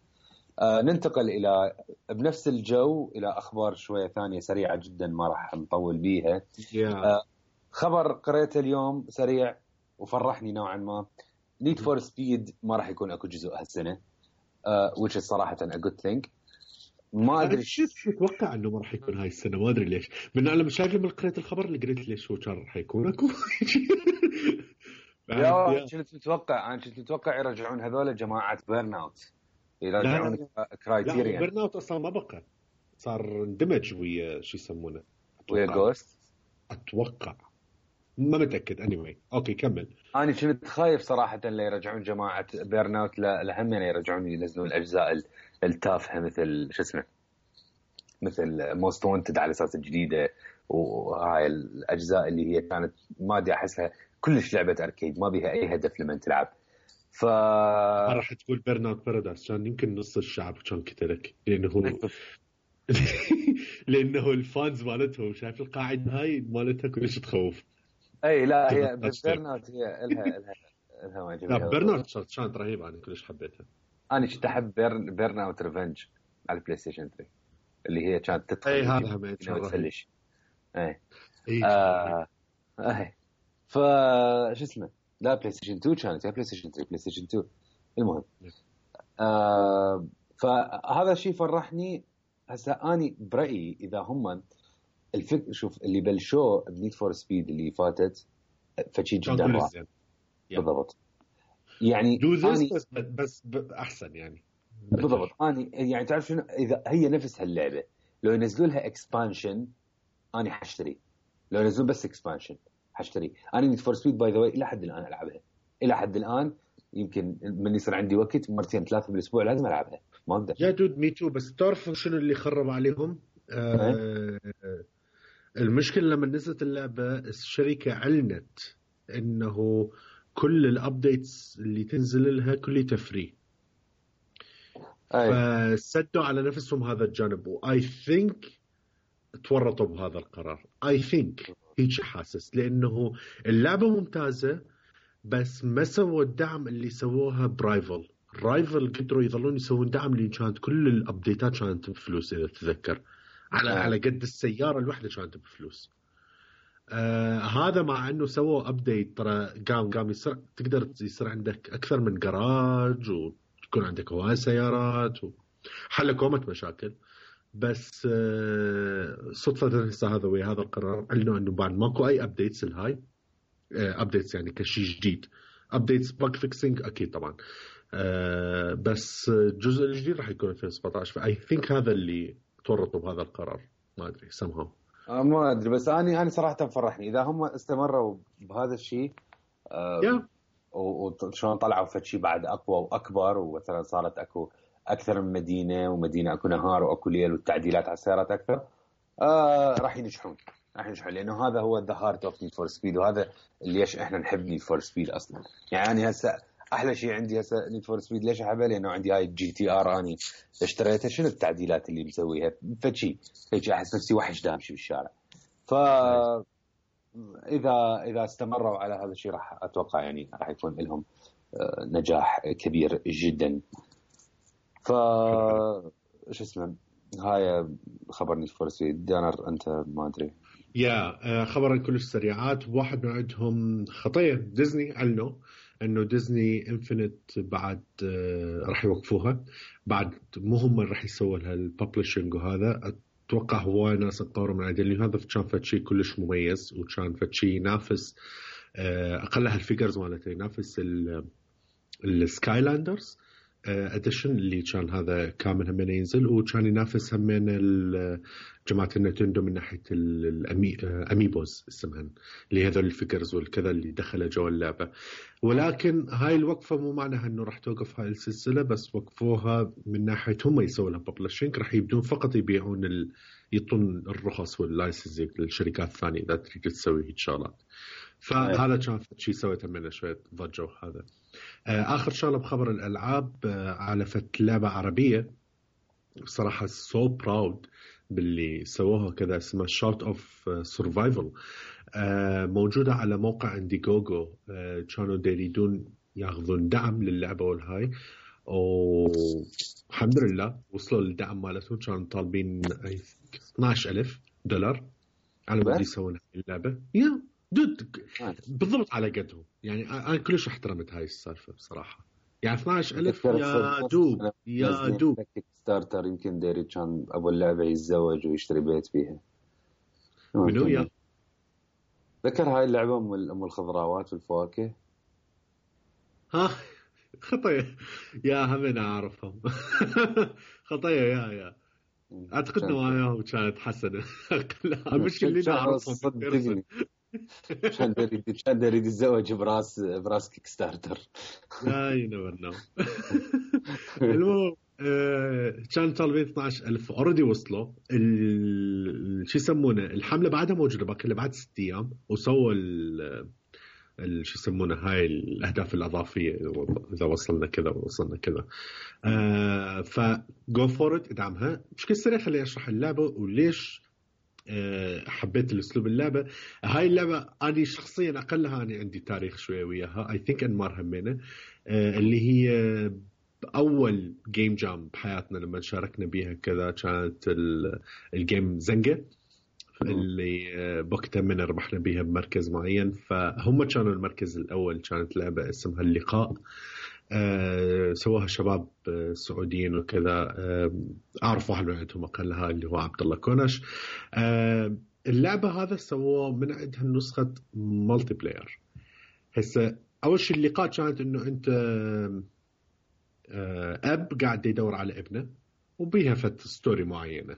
ننتقل الى بنفس الجو الى اخبار شويه ثانيه سريعه جدا ما راح نطول بيها. خبر قريته اليوم سريع وفرحني نوعا ما. نيد فور سبيد ما راح يكون اكو جزء هالسنه which is صراحه a good thing. ما ادري
شو اتوقع انه ما راح يكون هاي السنه ما ادري ليش من انا مش شايف لما قريت الخبر اللي قلت ليش هو كان راح يكون اكو
يا كنت متوقع يرجعون هذول جماعه بيرن اوت يرجعون كرايتيريا.
بيرن اوت اصلا ما بقى صار اندمج ويا شو يسمونه
ويا جوست
اتوقع ما متاكد anyway. اوكي كمل.
انا كنت خايف صراحه لا يرجعون جماعه بيرن اوت لهم يعني يرجعون ينزلون الاجزاء التافهه مثل شو اسمه مثل موست وانتد على اساس الجديده وهاي الاجزاء اللي هي كانت ما ادري احسها كلش لعبه اركيد ما بيها اي هدف لمن تلعب.
راح تقول بيرن اوت بارادايس كان يمكن نص الشعب كان كتلك لانه الفانز مالتهم شايف القاعده هاي مالتها كلش تخوف.
اي لا هي بيرن اوت هي الها ما
لا بيرن اوت كانت رهيبه انا كلش حبيتها.
انا كنت احب بيرن اوت ريفنج على البلاي ستيشن 3 اللي هي كانت تدخل
اي هذا ما
تفلش اي ف شو اسمه لا بلاي ستيشن 2 كانت بلاي ستيشن 3 بلاي ستيشن 2 المهم فهذا الشيء فرحني. هسه اني برايي اذا هم الفكر شوف اللي بلشوا بنيد فور سبيد اللي فاتت فشي جدا رائع بالضبط يعني
بس احسن يعني
بالضبط. اني يعني تعرف شنو اذا هي نفس هاللعبه لو ينزلوا لها اكسبانشن اني حاشتري. لو ينزلوا بس اكسبانشن حاشتري. انا نيد فور سبيد باي ذا واي الى حد الان العبها الى حد الان يمكن من يصير عندي وقت مرتين ثلاثه بالاسبوع لازم العبها ما اقدر.
يا دود ميتو بس تعرف شنو اللي خرب عليهم المشكله لما نزلت اللعبه الشركه علنت انه كل الابديتس اللي تنزل لها كلها فري فسدوا على نفسهم هذا الجانب واي ثينك تورطوا بهذا القرار. اي ثينك هيك حاسس لانه اللعبه ممتازه بس ما سووا الدعم اللي سووها برايفل. رايفل قدروا يظلون يسوون دعم اللي كانت كل الابديتات كانت بفلوس اذا تتذكر على قد السياره الواحده كانت بفلوس. هذا مع انه سووا ابديت ترى قام يصير تقدر يصير عندك اكثر من جراج وتكون عندك هواي سيارات وحل كومة مشاكل. بس صدفه هسه هذا ويا هذا القرار قالوا انه بعد ماكو اي ابديتس الهاي ابديتس يعني كشيء جديد. ابديتس باك فيكسينج اكيد طبعا بس الجزء الجديد راح يكون 2017 فاي ثينك هذا اللي تورطوا بهذا القرار ما ادري somehow
ما ادري بس انا صراحه فرحني اذا هم استمروا بهذا الشيء وشلون طلعوا فد شيء بعد اقوى واكبر ومثلا صارت اكو اكثر من مدينه ومدينه اكو نهار واكو ليل والتعديلات على السيارات اكثر راح ينجحون لانه هذا هو ذا هارت اوف نيد فور سبيد وهذا ليش احنا نحب نيد فور سبيد اصلا. يعني هسه احلى شيء عندي هسه نيد فور سبيد ليش احبها لانه عندي هاي الجي تي ار اني اشتريتها شنو التعديلات اللي مسويها فشي هيك احس نفسي وحش دامشي بالشارع. ف اذا استمروا على هذا الشيء راح اتوقع يعني راح يكون لهم نجاح كبير جدا. ف شو اسمه هاي خبر نيد فور سبيد. دانر انت ما ادري
خبر كلش سريعات. واحد من عندهم خطير ديزني علنوا انه ديزني انفينيت بعد راح يوقفوها بعد مو هم راح يسووا لها الببلشنج وهذا اتوقع هواي ناس تطوروا من عندهم لأن هذا كان فد شيء كلش مميز وكان فد شيء ينافس اقلها الفيجرز مالته ينافس السكايلاندرز اديشن اللي كان هذا كامل هم ينزل، وكان ينافس هم جماعه النينتندو من ناحيه الاميبوز اسمهن، اللي هذول الفيجرز والكذا اللي دخلوا جوا اللعبه. ولكن هاي الوقفه مو معناها انه راح توقف هاي السلسله، بس وقفوها من ناحيه هم يسوون لها ببلشنج، راح يبدون فقط يبيعون يعطون الرخص واللايسنس للشركات الثانيه اذا تريد تسوي هيك شغلات. فهذا كان شيء سويته منه شويه ضجه. وهذا آخر شغله بخبر الألعاب، على فت لعبة عربية بصراحة so proud باللي سووها كذا، اسمها Shot of Survival. موجودة على موقع انديجوجو. كانوا يريدون ياخذون دعم للعبة والهاي، والحمد لله وصلوا للدعم مالتهم. كانوا طالبين $12,000 على مود يسوون اللعبة. دود بالضبط على قدهم. يعني أنا كلش احترمت هاي السالفة بصراحة. يعني 12,000 يا دوب
كيك ستارتر. يمكن ديري كان أبو اللعبة يتزوج ويشتري بيت فيها.
منو يا
ذكر هاي اللعبة أم الخضراوات والفواكه.
ها خطية يا همين أعرفهم. خطية يا أعتقد نواياهم كانت حسنة. مش اللي نعرفهم.
كان يريد يتزوج براس كيك ستارتر.
لا ينور نو. المهم كان طالبين 12,000 اوريدي وصلوا. شو يسمونه الحمله بعدها موجوده باقي له بعد 6 ايام، وسووا شو يسمونه هاي الاهداف الاضافيه اذا وصلنا كذا. فجو فور ات ادعمها بشكل سريع. خليني اشرح اللعبه وليش حبيت الاسلوب اللعبه. هاي اللعبه انا شخصيا اقلها انا عندي تاريخ شويه وياها. اي ثينك انمار همينه اللي هي اول جيم جام بحياتنا لما شاركنا بيها كذا. كانت الجيم زنقه اللي بوقتها من ربحنا بيها بمركز معين. فهم كانوا المركز الاول. كانت لعبه اسمها اللقاء، سواها شباب سعوديين وكذا. أعرف واحد من عندهم أقلها اللي هو عبد الله كونش. اللعبة هذا سووه من عندها نسخة مالتي بلاير. هسه أول شيء اللقاء كانت إنه أنت أب قاعد يدور على ابنه وبيها فت ستوري معينة.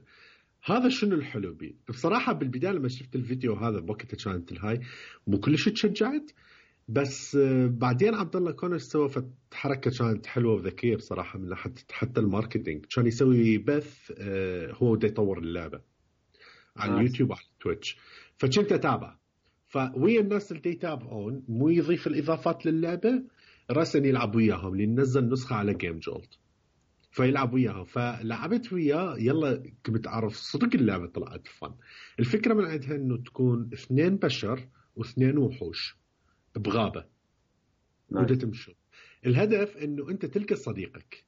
هذا شنو الحلو بيه بصراحة. بالبداية لما شفت الفيديو هذا بوقتها كانت الهاي مو كلش تشجعت، بس بعدين عبد الله كونش سوى حركه كانت حلوه وذكيه بصراحه من حتى الماركتينج. كان يسوي بث هو دا يطور اللعبه على اليوتيوب وعلى تويتش، فكنت اتابع. فويا الناس اللي يتابعون مو يضيف الاضافات للعبه راسا يلعب وياهم، اللي نزل نسخه على جيم جولت فيلعب وياهم. فلعبت وياه يلا كنت اعرف صدق اللعبه طلعت فن. الفكره من عندها انه تكون 2 بشر و2 وحوش بغابة وده تمشوا. الهدف انه انت تلقى صديقك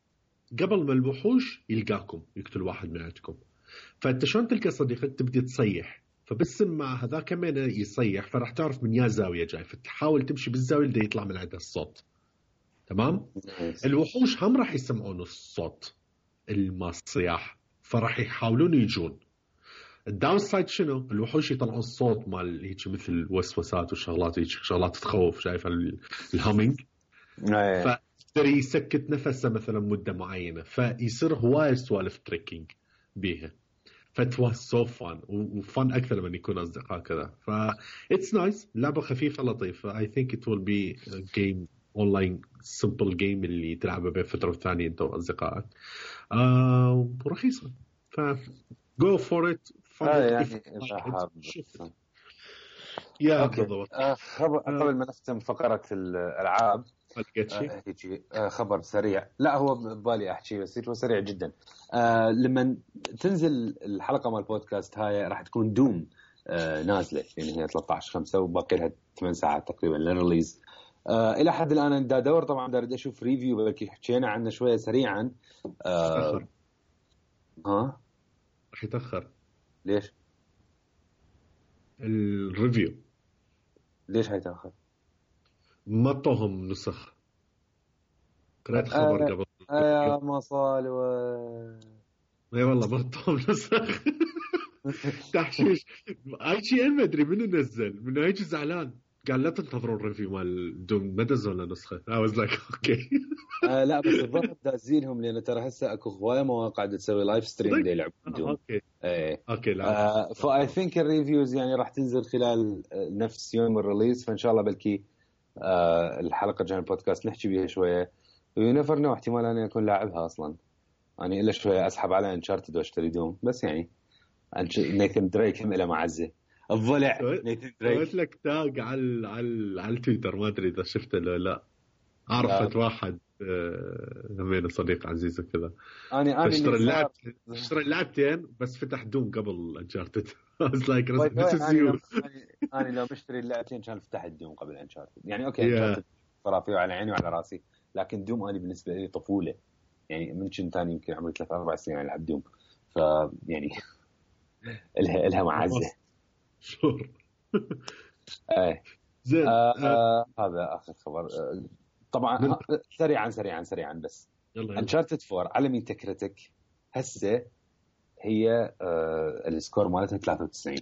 قبل ما الوحوش يلقاكم يقتل واحد من عندكم. فانت شلون تلقى صديقك؟ تبدي تصيح، فبالسمع هذا كمان يصيح فراح تعرف من يا زاوية جاي، فتحاول تمشي بالزاوية اللي يطلع من عندها الصوت. تمام. الوحوش هم راح يسمعون الصوت الصياح فراح يحاولون يجون. الداون سايد شنو؟ الوحوش يطلعون الصوت مال هيك مثل وسوسات وشغلات هيك شغلات تخوف، شايف الهامينج. فيقدر يسكت نفسه مثلا مده معينه، فيصير هواي سوالف تريكينج بيها. فتوى سو فان وفن اكثر من يكون اصدقاء كذا. ف اتس نايس. لعبه خفيفه لطيفه. اي ثينك ات ويل بي جيم اونلاين سمبل جيم اللي تلعبه بين فتره وثانيه انت واصدقائك. ورخيصه. ف جو فور ات.
يعني
يا بالضبط.
قبل ما نختم فقرة الألعاب خبر سريع. لا هو ببالي أحكي بس هو سريع جدا. لما تنزل الحلقة مال البودكاست هاي راح تكون دوم نازلة، يعني هي 13/5 وباقي لها 8 ساعات تقريبا للريليز. إلى حد الآن أنا دا دور طبعا دا أريد أشوف ريفيو بلكي حكينا عنه شوية سريعا.
ها راح يتأخر.
ليش؟
الريفيو
ليش هيتأخر؟
ما طوهم نسخ. قرأت خبر قبل
يا مصالوة.
اي والله ما طوهم نسخ. تحشيش. اي شيء ما ادري منو نزل، من هيك زعلان قال لا تنتظروا الريفيو مال دوم ما دزوا لنا نسخه. I was like اوكي.
لا بس الظاهر دازينهم لان ترى هسه اكو هوايه مواقع تسوي لايف ستريم يلعبون دوم.
اوكي
ايه
اوكي لا
فاي ثينك الريفيوز يعني راح تنزل خلال نفس يوم الريليز، فان شاء الله بلكي الحلقه الجايه البودكاست نحكي بيها شويه. وينفر نو احتمال انا اكون لاعبها اصلا، يعني الا شويه اسحب على انشارتد واشتري دوم. بس يعني نيثن دريك هم له معزه الضلع. نيثن دريك
قلت لك تاج على التويتر، ما ادري اذا شفته لو لا. عرفت واحد همين صديق عزيز وكذا،
انا
اشترى اللعبتين بس فتح دوم قبل انشارتد. I was like this is you.
انا لو مشتري اللعبتين كان فتح الدوم قبل انشارتد. يعني اوكي انشارتد خرافي وعلى عيني وعلى راسي، لكن دوم انا بالنسبه لي طفوله. يعني من كنت ثاني يمكن عمري 3-4 سنين العب دوم، ف يعني لها معزه.
شور.
ايه
زين.
هذا اخر خبر. طبعا سريعا بس انشارتد 4 على مين تكرتك هسه هي السكور مالتها 93.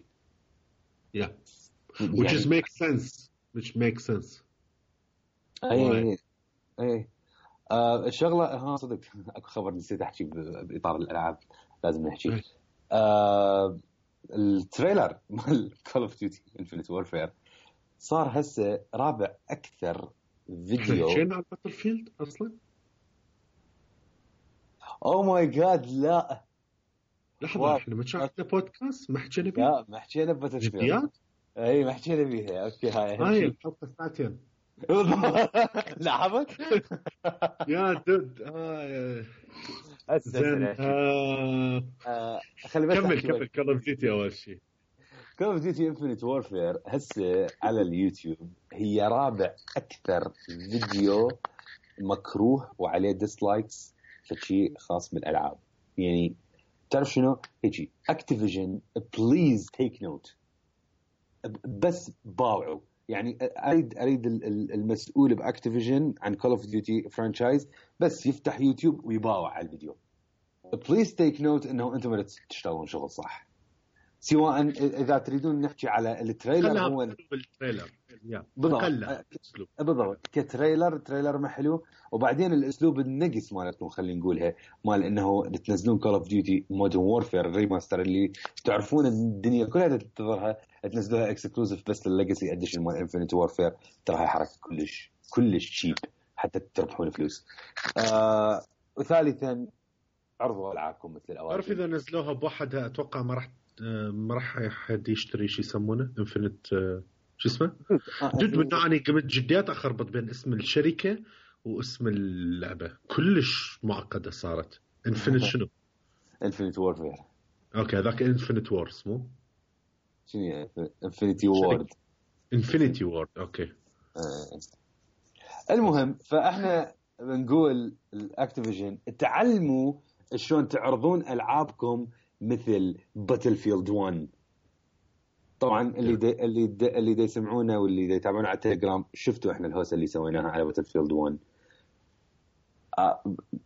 Yeah. Which is makes sense.
اي الشغله صدق اكو خبر نسيت احكي باطار الالعاب لازم نحكي. التريلر مال كول اوف ديوتي انفينيت وورفير صار هسه رابع اكثر فيديو.
حكينا عن باتل فيلد اصلا.
او ماي جاد لا
لحظه احنا ما شفنا بودكاست ما حكينا بيه.
لا ما حكينا باتل فيلد. اي ما حكينا بيها. اوكي
هاي الحلقه ساعتين.
لحظه
يا دود زين.
خلي بس
كمل كول اوف ديوتي. اول شيء
كول اوف ديوتي انفينيت وورفير هسه على اليوتيوب هي رابع اكثر فيديو مكروه وعليه ديسلايكس فشي خاص بالالعاب. يعني تعرف شنو هيجي اكتيفيجن بليز تيك نوت، بس باوعوا. يعني اريد المسؤول باكتيفيجن عن كول اوف ديوتي فرانشايز بس يفتح يوتيوب ويباوع على الفيديو. بليز تيك نوت انه انتم تشتغلون شغل صح، سواء اذا تريدون نحكي على التريلر. هو
التريلر
بالضبط كتريلر ما حلو. وبعدين الاسلوب النقص مالتكم خلينا نقولها مال انه تنزلون كول اوف ديوتي مودرن وورفير ريماستر اللي تعرفون الدنيا كلها تنتظرها، تنزلوها اكسكلوزيف بس للليجاسي اديشن مال انفينيتي وورفير. ترى هاي حركه كلش شيب حتى تربحون فلوس. وثالثا عرضوا العابكم مثل الاوائل.
تعرف اذا نزلوها بوحدها اتوقع ما راح حد يشتري شو يسمونه انفينيت شو اسمه جد من اني قمت جديات اخربط بين اسم الشركه واسم اللعبه. كلش معقده صارت. انفينيت شنو؟
انفينيت وورفير.
اوكي هذاك انفينيت وورز مو
شنو انفينيتي وورد.
انفينيتي وورد اوكي.
المهم فاحنا بنقول الاكتيفيجن تعلموا شلون تعرضون العابكم مثل باتل فيلد 1. طبعا اللي يسمعونا واللي يتابعونا على التليجرام شفتوا احنا الهوسه اللي سويناها على باتل فيلد 1.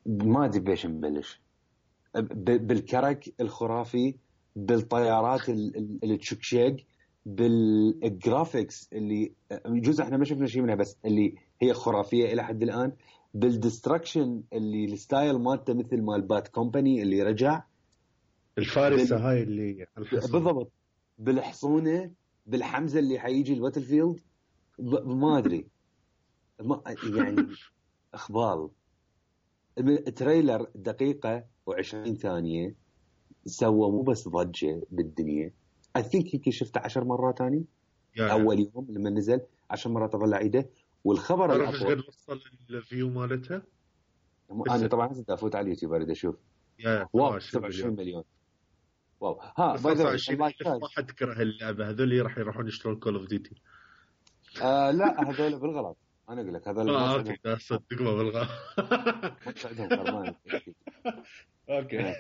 ما ادري بيش نبلش. بالكرك الخرافي، بالطيارات اللي تشكشق، بالجرافيكس اللي جزء احنا ما شفنا شيء منها بس اللي هي خرافيه الى حد الان، بالديستركشن اللي الستايل مالته مثل مال بات كومباني اللي رجع،
الفارسه هاي اللي
بالضبط، بالحصونه، بالحمزه اللي حيجي الباتل فيلد. ما ادري يعني اخبال. التريلر دقيقه و20 ثانيه سوى مو بس ضجه بالدنيا. I think هيك شفته 10 مرات ثاني اول يوم لما نزل 10 مرات اظل اعيده. والخبر
ايش قد وصل الفيو مالتها؟
انا طبعا هسه افوت على اليوتيوب اريد اشوف. واو 27 مليون. واو ها باي
ما حد كره اللعبه. هذول راح يروحون يشترون كول اوف ديوتي.
لا هذول بالغلط. انا اقول لك هذول
اوكي صدق ما بالغلط.
عندهم فرمان.
اوكي.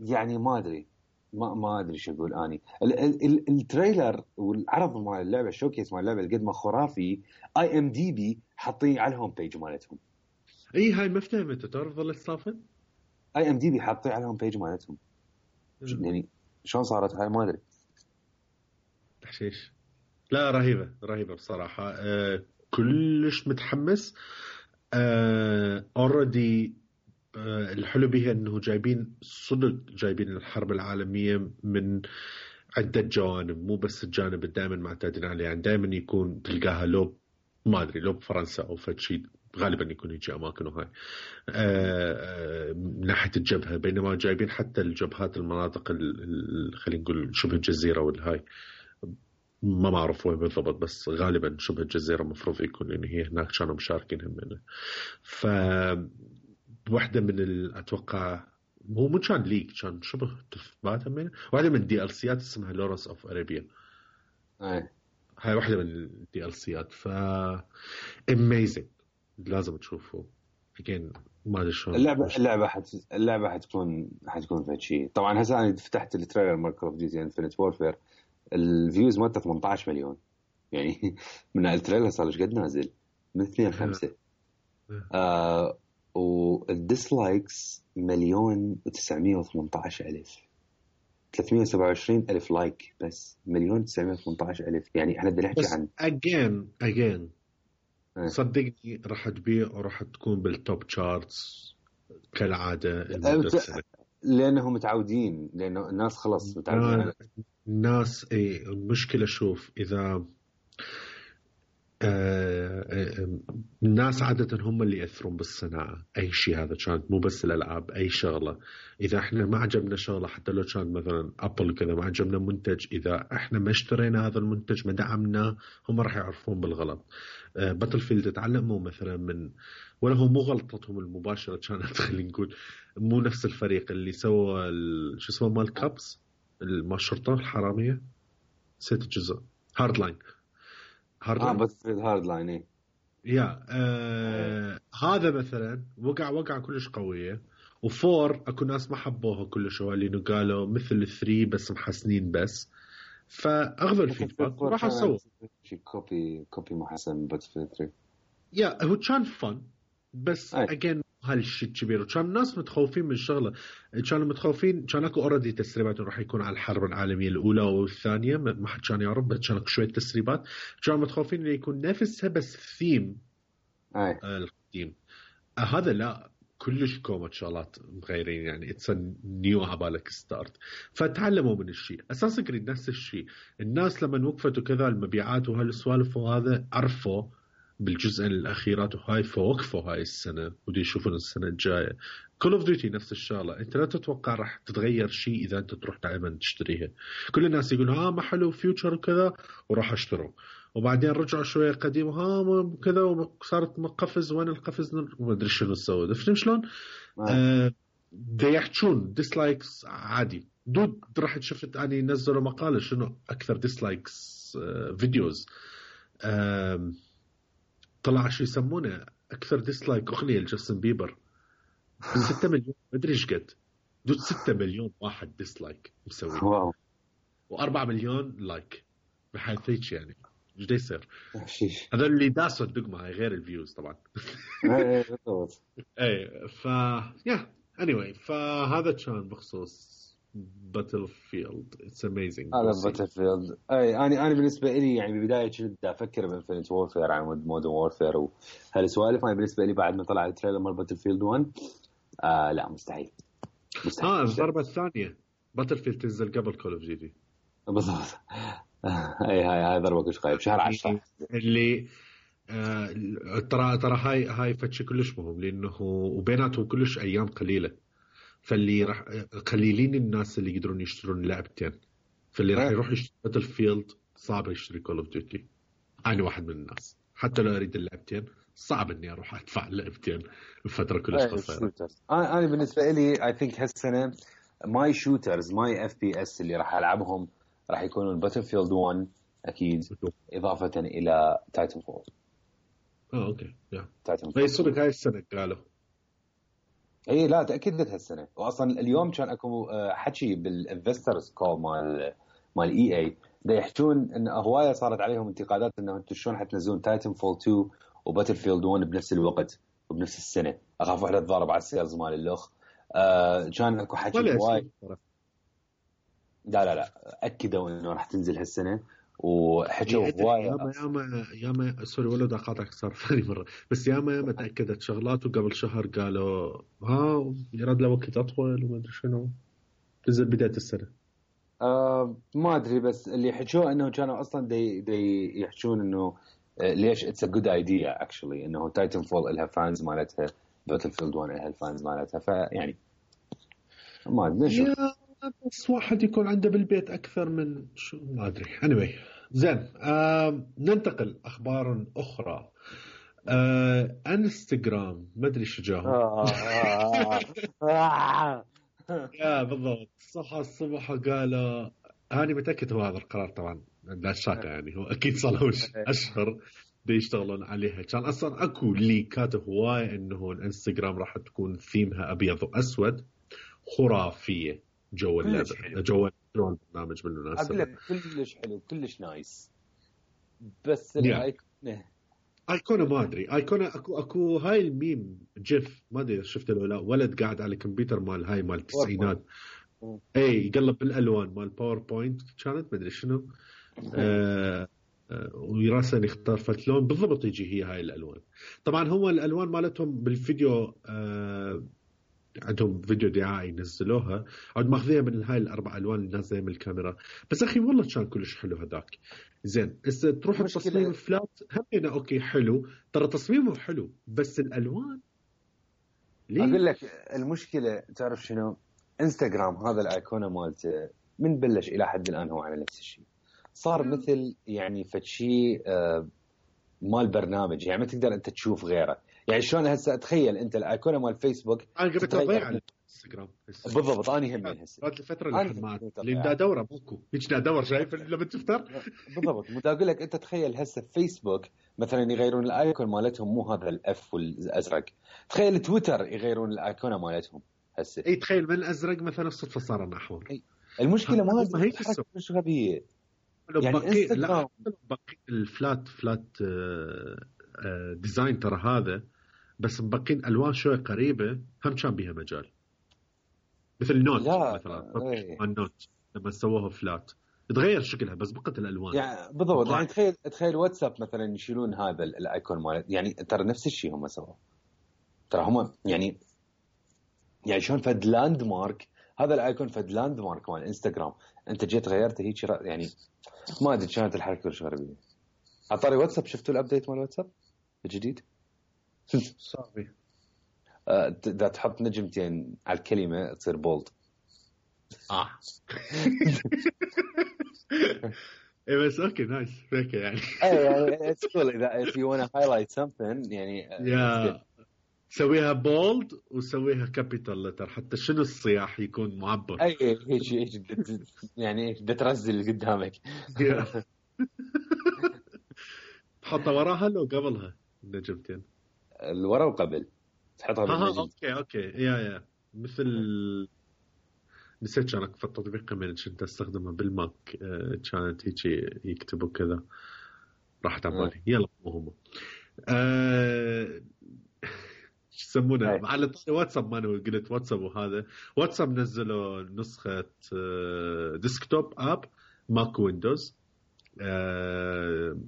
يعني ما ادري ما ادري شو اقول. اني التريلر والعرض مال اللعبه الشوكيس مال اللعبه قد ما خرافي. IMDb حاطين على الهوم بيج مالتهم.
اي هاي ما فهمت. تعرف ظلت صافن
IMDb حاطين على الهوم بيج مالتهم. يعني شلون صارت هاي ما ادري.
تحشيش. لا رهيبة بصراحة. كلش متحمس. already. الحلو بها انه جايبين الحرب العالمية من عدة جوانب، مو بس الجانب دائما معتادين عليه. يعني دائما يكون تلقاها لو ما ادري لو بفرنسا او فشي، غالبا يكون يجي اماكن وهاي من ناحية الجبهة، بينما جايبين حتى الجبهات المناطق خلينا نقول شبه الجزيرة والهاي ما معرف وين بالضبط، بس غالبا شبه الجزيرة مفروض يكون لأن هي هناك كانوا مشاركين هم منه. واحدة من أتوقع مو كان ليك، كان شبه تثبات منه، واحدة من الدي ال سيات اسمها لورنس اوف ارابيا. هاي واحدة من الدي ال سيات. amazing، لازم تشوفه. again ما ادري شلون
اللعبة حتكون فد شيء. طبعا هسه انا فتحت التريلر مال كول اوف ديوتي انفينيت وورفير، الفيوز مالته 18 مليون يعني من التريلر صار ايش قد نازل من 2-5 والديسلايكس 1,918,000 327,000 لايك، بس 1,918,000. يعني احنا بدنا نحكي عن
again صدقني راح تبيع وراح تكون بالتوب تشارتس كالعادة
لأنهم متعودين، لأنه الناس خلص متعودين.
الناس المشكلة شوف إذا الناس عادة هم اللي يأثرون بالصناعة، أي شيء هذا كانت مو بس الألعاب، أي شغلة. إذا إحنا ما عجبنا شغلة حتى لو كان مثلا أبل كذا ما عجبنا منتج، إذا إحنا ما اشترينا هذا المنتج ما دعمناه، هم راح يعرفون بالغلط. باتلفيلد تعلموا مثلا من، ولا هو مو غلطتهم المباشرة كانت خلينا نقول مو نفس الفريق اللي سوى شو اسمه مال كابس ما الشرطة الحرامية، نسيت الجزء هاردلاين.
بس هاردلاين
هذا مثلا وقع كلش قوية. وفور اكو ناس ما حبوها كلش، اللي قالوا مثل 3 بس محسنين بس، فاخذوا الفيدباك وراح اسوي
كوبي محسن باتلفيلد 3.
هو كان فن بس اجين هالشيء كبير، وكان الناس متخوفين من الشغله، كانوا متخوفين، كان اكو اوريدي تسريبات راح يكون على الحرب العالميه الاولى والثانيه، ما حد كان يعرف، بس كان شويه تسريبات، كانوا متخوفين انه يكون نفسها بس ثيم القديم. هذا لا، كلش كومة شغلات مغيرين، يعني اتس نيو عبالك ستارت. فتعلموا من الشيء اساسا قريب نفس الشيء. الناس لما وقفت وكذا المبيعات وهالسوالف وهذا عرفوا بالجزء الأخيرات وهاي، فوقفوا هاي السنة ودي يشوفون السنة الجاية. كول اوف ديوتي نفس الشغلة، انت لا تتوقع راح تتغير شيء اذا انت تروح دائما تشتريها. كل الناس يقولوا ما حلو فيوتشر وكذا وراح اشتروا، وبعدين رجعوا شوية قديم كذا وصارت مقفز، وين القفز وما ادري شنو سووا. فهمت شلون؟ دا يحجون ديسلايكس عادي. دود راح شفت اني نزلوا مقالة شنو اكثر ديسلايكس فيديوز، طلع شو يسمونه اكثر ديسلايك اغنيه لجاستن بيبر 6 مليون ما ادري ايش قد، دود 6 مليون واحد ديسلايك مسوي، واو، و4 مليون لايك بحيث هيك. يعني ايش دا يصير؟ هذا اللي داسوا الدقمه هاي غير الفيوز طبعا. اي anyway فهذا كان بخصوص باتلفيلد. اتس اميزنج
هذا باتلفيلد. انا بالنسبه لي يعني ببدايه كنت افكر بانفينيت وورفير عن مودرن وورفير وهالسوالف. انا بالنسبه لي بعد ما طلع التريلر مال باتلفيلد 1 لا مستحيل.
الضربه الثانيه باتلفيلد تنزل قبل كول اوف ديوتي
بالضبط. هاي ضربه كلش خايب شهر 10
اللي ترى هاي فتش كلش مهم، لانه وبيناتهم كلش ايام قليله، فاللي راح قليلين الناس اللي يقدرون يشترون لعبتين، فاللي راح يروح يشتري باتلفيلد صعب يشتري كول اوف ديوتي. انا واحد من الناس حتى لو اريد اللعبتين صعب اني اروح ادفع لعبتين بفتره كلش قصيره.
انا بالنسبه لي اي ثينك هالسنه ماي شوترز ماي اف بي اس اللي راح العبهم راح يكونون باتلفيلد 1 اكيد، اضافه الى تايتن فول.
اوكي تايتن فول يصير هاي السنه قالوا.
اي لا تاكدت هالسنه، واصلا اليوم كان اكو حكي بالانفسترز كول مال اي اي دا يحكون ان هوايه صارت عليهم انتقادات انه انتم شلون حتنزلون تايتن فول 2 وباتل فيلد 1 بنفس الوقت وبنفس السنه، اخاف واحده تضارب على السيلز مال اللخ. كان اكو حكي هواي. لا اكدوا انه راح تنزل هالسنه وحكوا هوايه.
ياما سوري ولد اقاطعك صار ثاني مره، بس ياما تاكدت شغلات وقبل شهر قالوا يراد له وقت اطول وما ادري شنو نزل بدايه السنه.
ما ادري، بس اللي حكوا انه كانوا اصلا دي يحكون انه ليش اتس ا جود ايديا اكشلي انه تايتن فول لها فانز مالتها، باتل فيلد 1 لها الفانز مالتها، فيعني ما ادري
بس واحد يكون عنده بالبيت اكثر من شو ما ادري. anyway زين ننتقل اخبار اخرى. انستغرام ما ادري شو جاهم. يا بالضبط صحى الصبح قالوا، أنا متأكد هو هذا القرار طبعا لا شك يعني هو أكيد صار له أشهر بيشتغلون عليها. كان أصلا أكو ليكات هواية إنه الانستغرام راح تكون ثيمها أبيض وأسود خرافية جو البرنامج بالمناسبة.
أقول لك كلش حلو كلش نايس، بس
ايقونه ما ادري ايقونه اكو هاي الميم جيف ما ادري شفته ولا لا، ولد قاعد على الكمبيوتر مال هاي مال التسعينات اي يقلب بالالوان مال باوربوينت كانت ما ادري شنو ويراسل يختار فتلون بالضبط يجي هي هاي الالوان. طبعا هو الالوان مالتهم بالفيديو عندهم فيديو دعائي نزلوها عاد ماخذيها من هاي الاربع الوان اللي نازله من الكاميرا. بس اخي والله كان كلش حلو هذاك. زين هسه تروح التصميم فلات همينه اوكي حلو، ترى تصميمه حلو بس الالوان
ليه؟ اقول لك المشكله تعرف شنو؟ انستغرام هذا الايقونه مالته من بلش الى حد الان هو على نفس الشيء، صار مثل يعني فشي مال برنامج، يعني ما تقدر انت تشوف غيره. يعني شلون هسه تخيل انت الايقونه مال فيسبوك
انا قبل اضيع على انستغرام
بالضبط. انا هم هسه
بعد الفتره اللي دا دوره بوكو هيك دا دور شايف لما تفتر
بالضبط. مو اقول لك انت تخيل هسه فيسبوك مثلا يغيرون الايقون مالتهم مو هذا الاف والازرق، تخيل تويتر يغيرون الايقونه مالتهم هسه.
اي تخيل من الازرق مثلا الصدفه صار احمر.
المشكله ما هي مش غبيه يعني انستغرام
بقي الفلات ديزاين ترى هذا بس مبقين الوان شوي قريبه هم كان بيها مجال مثل نوت مثلا النوت لما سووها فلات تغير شكلها بس بقت الالوان
يعني بالضبط. يعني تخيل واتساب مثلا يشيلون هذا الايكون مال يعني ترى نفس الشيء هم سووا، ترى هم يعني شلون فد لاند مارك هذا الايكون فد لاند مارك مال انستغرام انت جيت غيرته هيك يعني ما ادري كانت الحركه كلش غريبه. عطاري واتساب شفتوا الابديت مال واتساب الجديد؟
صافي
اذا تحط نجمتين على الكلمه تصير بولد.
ايه بس اوكي نايس فيك يعني
يعني اتس كول اذا if you want to highlight something يعني
سويها بولد وسويها كابيتال لتر حتى شنو الصياح يكون معبر.
اي هيك يعني بترزل قدامك
تحطها وراها لو قبلها النجمتين
الورا وقبل تحطها بالنجم.
اوكي يا مثل نسيت كان في التطبيق كمان كنت استخدمه بالماك كانت هيك يكتبوا كذا راحت على بالي. يلا مو شو يسمونه على واتساب ما انا قلت واتساب وهذا واتساب نزلوا نسخه ديسكتوب اب ماك ويندوز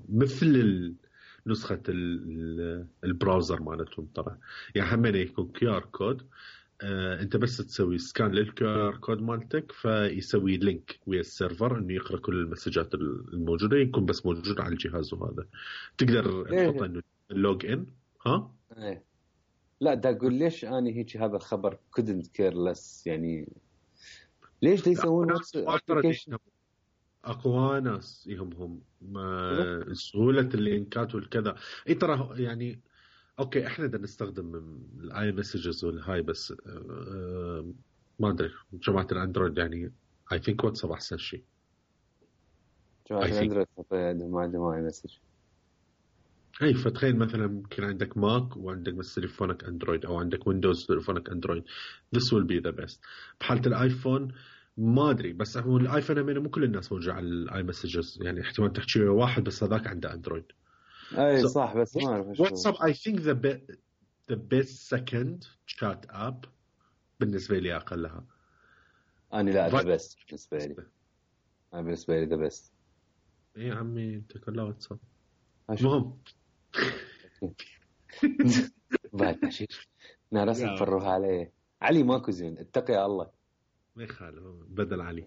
مثل نسخه البراوزر مالتهم ترى يعني همين يكون QR كود انت بس تسوي سكان للكيو كود مالتك فيسوي لينك ويا السيرفر انه يقرا كل المسجات الموجوده يكون بس موجود على الجهاز وهذا تقدر تحط انه اللوج ان
لا دا اقول ليش انا هيك هذا الخبر couldn't care less يعني ليش دا يسوون ابلكيشن
اقوى ناس يهمهم سهوله اللينكات والكذا. اي ترى يعني اوكي احنا بدنا نستخدم الاي مسجز والهاي بس ما ادري جماعه الاندرويد يعني اي ثينك واتساب احسن شيء.
جماعه الاندرويد ما عندهم اي مسج.
اي فتخيل مثلا يمكن عندك ماك وعندك بس تليفونك اندرويد او عندك ويندوز تليفونك اندرويد this will be the best. بحاله الايفون ما ادري بس هو الايفون همين مو كل الناس موجوده على الاي مسجز يعني احتمال تحكي واحد بس هذاك عنده اندرويد.
اي صح بس ما اعرف
واتساب I think the best second chat app بالنسبه لي اقلها.
انا لا the best بالنسبه لي. انا بالنسبه لي the best
اي عمي انت كلها واتساب.
أشوف.
المهم
بعد حشيش نارسم فروها عليه. علي ماكو زين، اتقي الله.
ما يخالف بدل علي.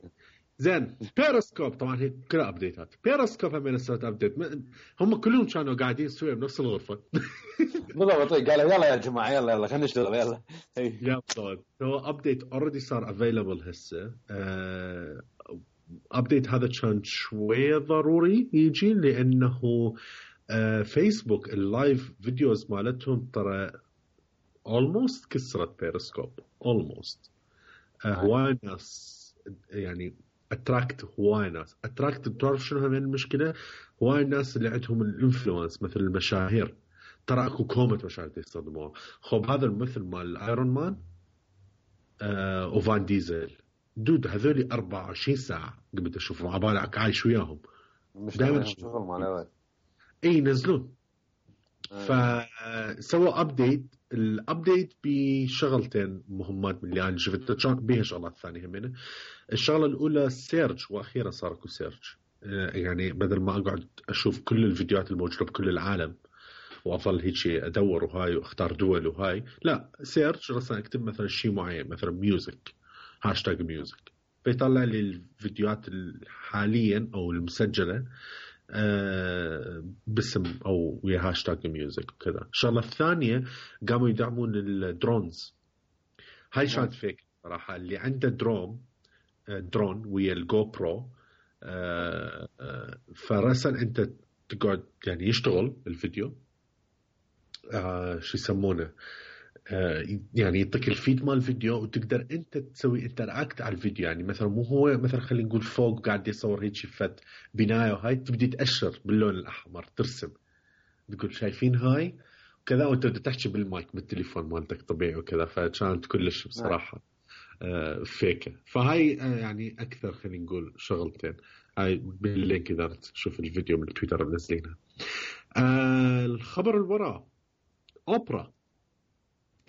زين بيرسكوب طبعا هي كلها ابديتات. بيرسكوب هم سوت ابديت هم كلهم كانوا قاعدين سويا بنفس الغرفه.
بالضبط. قالوا يلا يا جماعه يلا خلينا نشتغل يلا.
يا بالضبط. هو ابديت اوريدي صار افيلبل هسه. ابديت هذا كان شويه ضروري يجي لانه فيسبوك اللايف فيديوز مالتهم ترى almost كسرت بيرسكوب almost. هواي ناس يعني اتراكت هواي ناس اتراكت. تعرف شنو هم المشكله؟ هواي الناس اللي عندهم الانفلونس مثل المشاهير. ترى اكو كومة مشاهير يستخدموها. خب هذا الممثل مال ايرون مان وفان ديزل دود هذولي 24 ساعه قبل اشوفهم على بالك عايش وياهم
دائما شغل مال اول
اي ينزلون. فسووا ابديت. الابديت بشغلتين مهمات من اللي انا شفتها بيها شغلات ثانيه همينه. الشغله الاولى سيرج واخيرا صار اكو سيرج. يعني بدل ما اقعد اشوف كل الفيديوهات الموجوده بكل العالم واظل هيك ادور وهاي واختار دول وهاي، لا سيرج راسا اكتب مثلا شيء معين مثلا ميوزك هاشتاج ميوزك فيطلع لي الفيديوهات حاليا او المسجله باسم او ويا هاشتاج ميوزك وكذا. الشغله الثانيه قاموا يدعمون الدرونز. هاي شات فيك صراحه. اللي عنده درون ويا الجو برو فرسل انت تقعد يعني يشتغل الفيديو شو يسمونه يعني يعطيك الفيد مال الفيديو وتقدر انت تسوي انتراكت على الفيديو. يعني مثلا مو هو مثلا خلينا نقول فوق قاعد يصور هيك فت بنايه وهاي تبدي تأشر باللون الاحمر ترسم تقول شايفين هاي وكذا وانت بدك تحكي بالمايك بالتليفون مالتك طبيعي وكذا. فكانت كلش بصراحه فيكه. فهاي يعني اكثر خلينا نقول شغلتين. هاي باللينك اذا تشوف الفيديو من تويتر منزلينها. الخبر اللي وراه اوبرا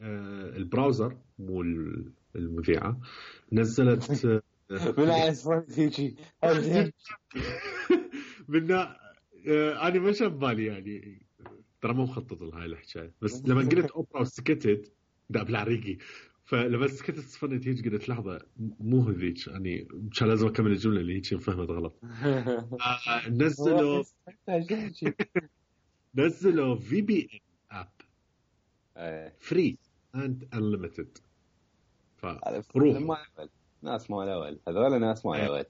البراوزر مو المذيعه نزلت
بالعكس هيجي
منا انا ما شاف بالي يعني ترى مو مخطط لهاي الحكايه. بس لما قلت اوبرا وسكتت دا بالعريقي. فلما سكتت صفنت هيك قلت لحظه مو هذيك يعني كان لازم اكمل الجمله اللي هيك فهمت غلط. نزلوا في بي ان اب فري اند انليمتد. فروح
ناس مال اول هذول ناس مال اول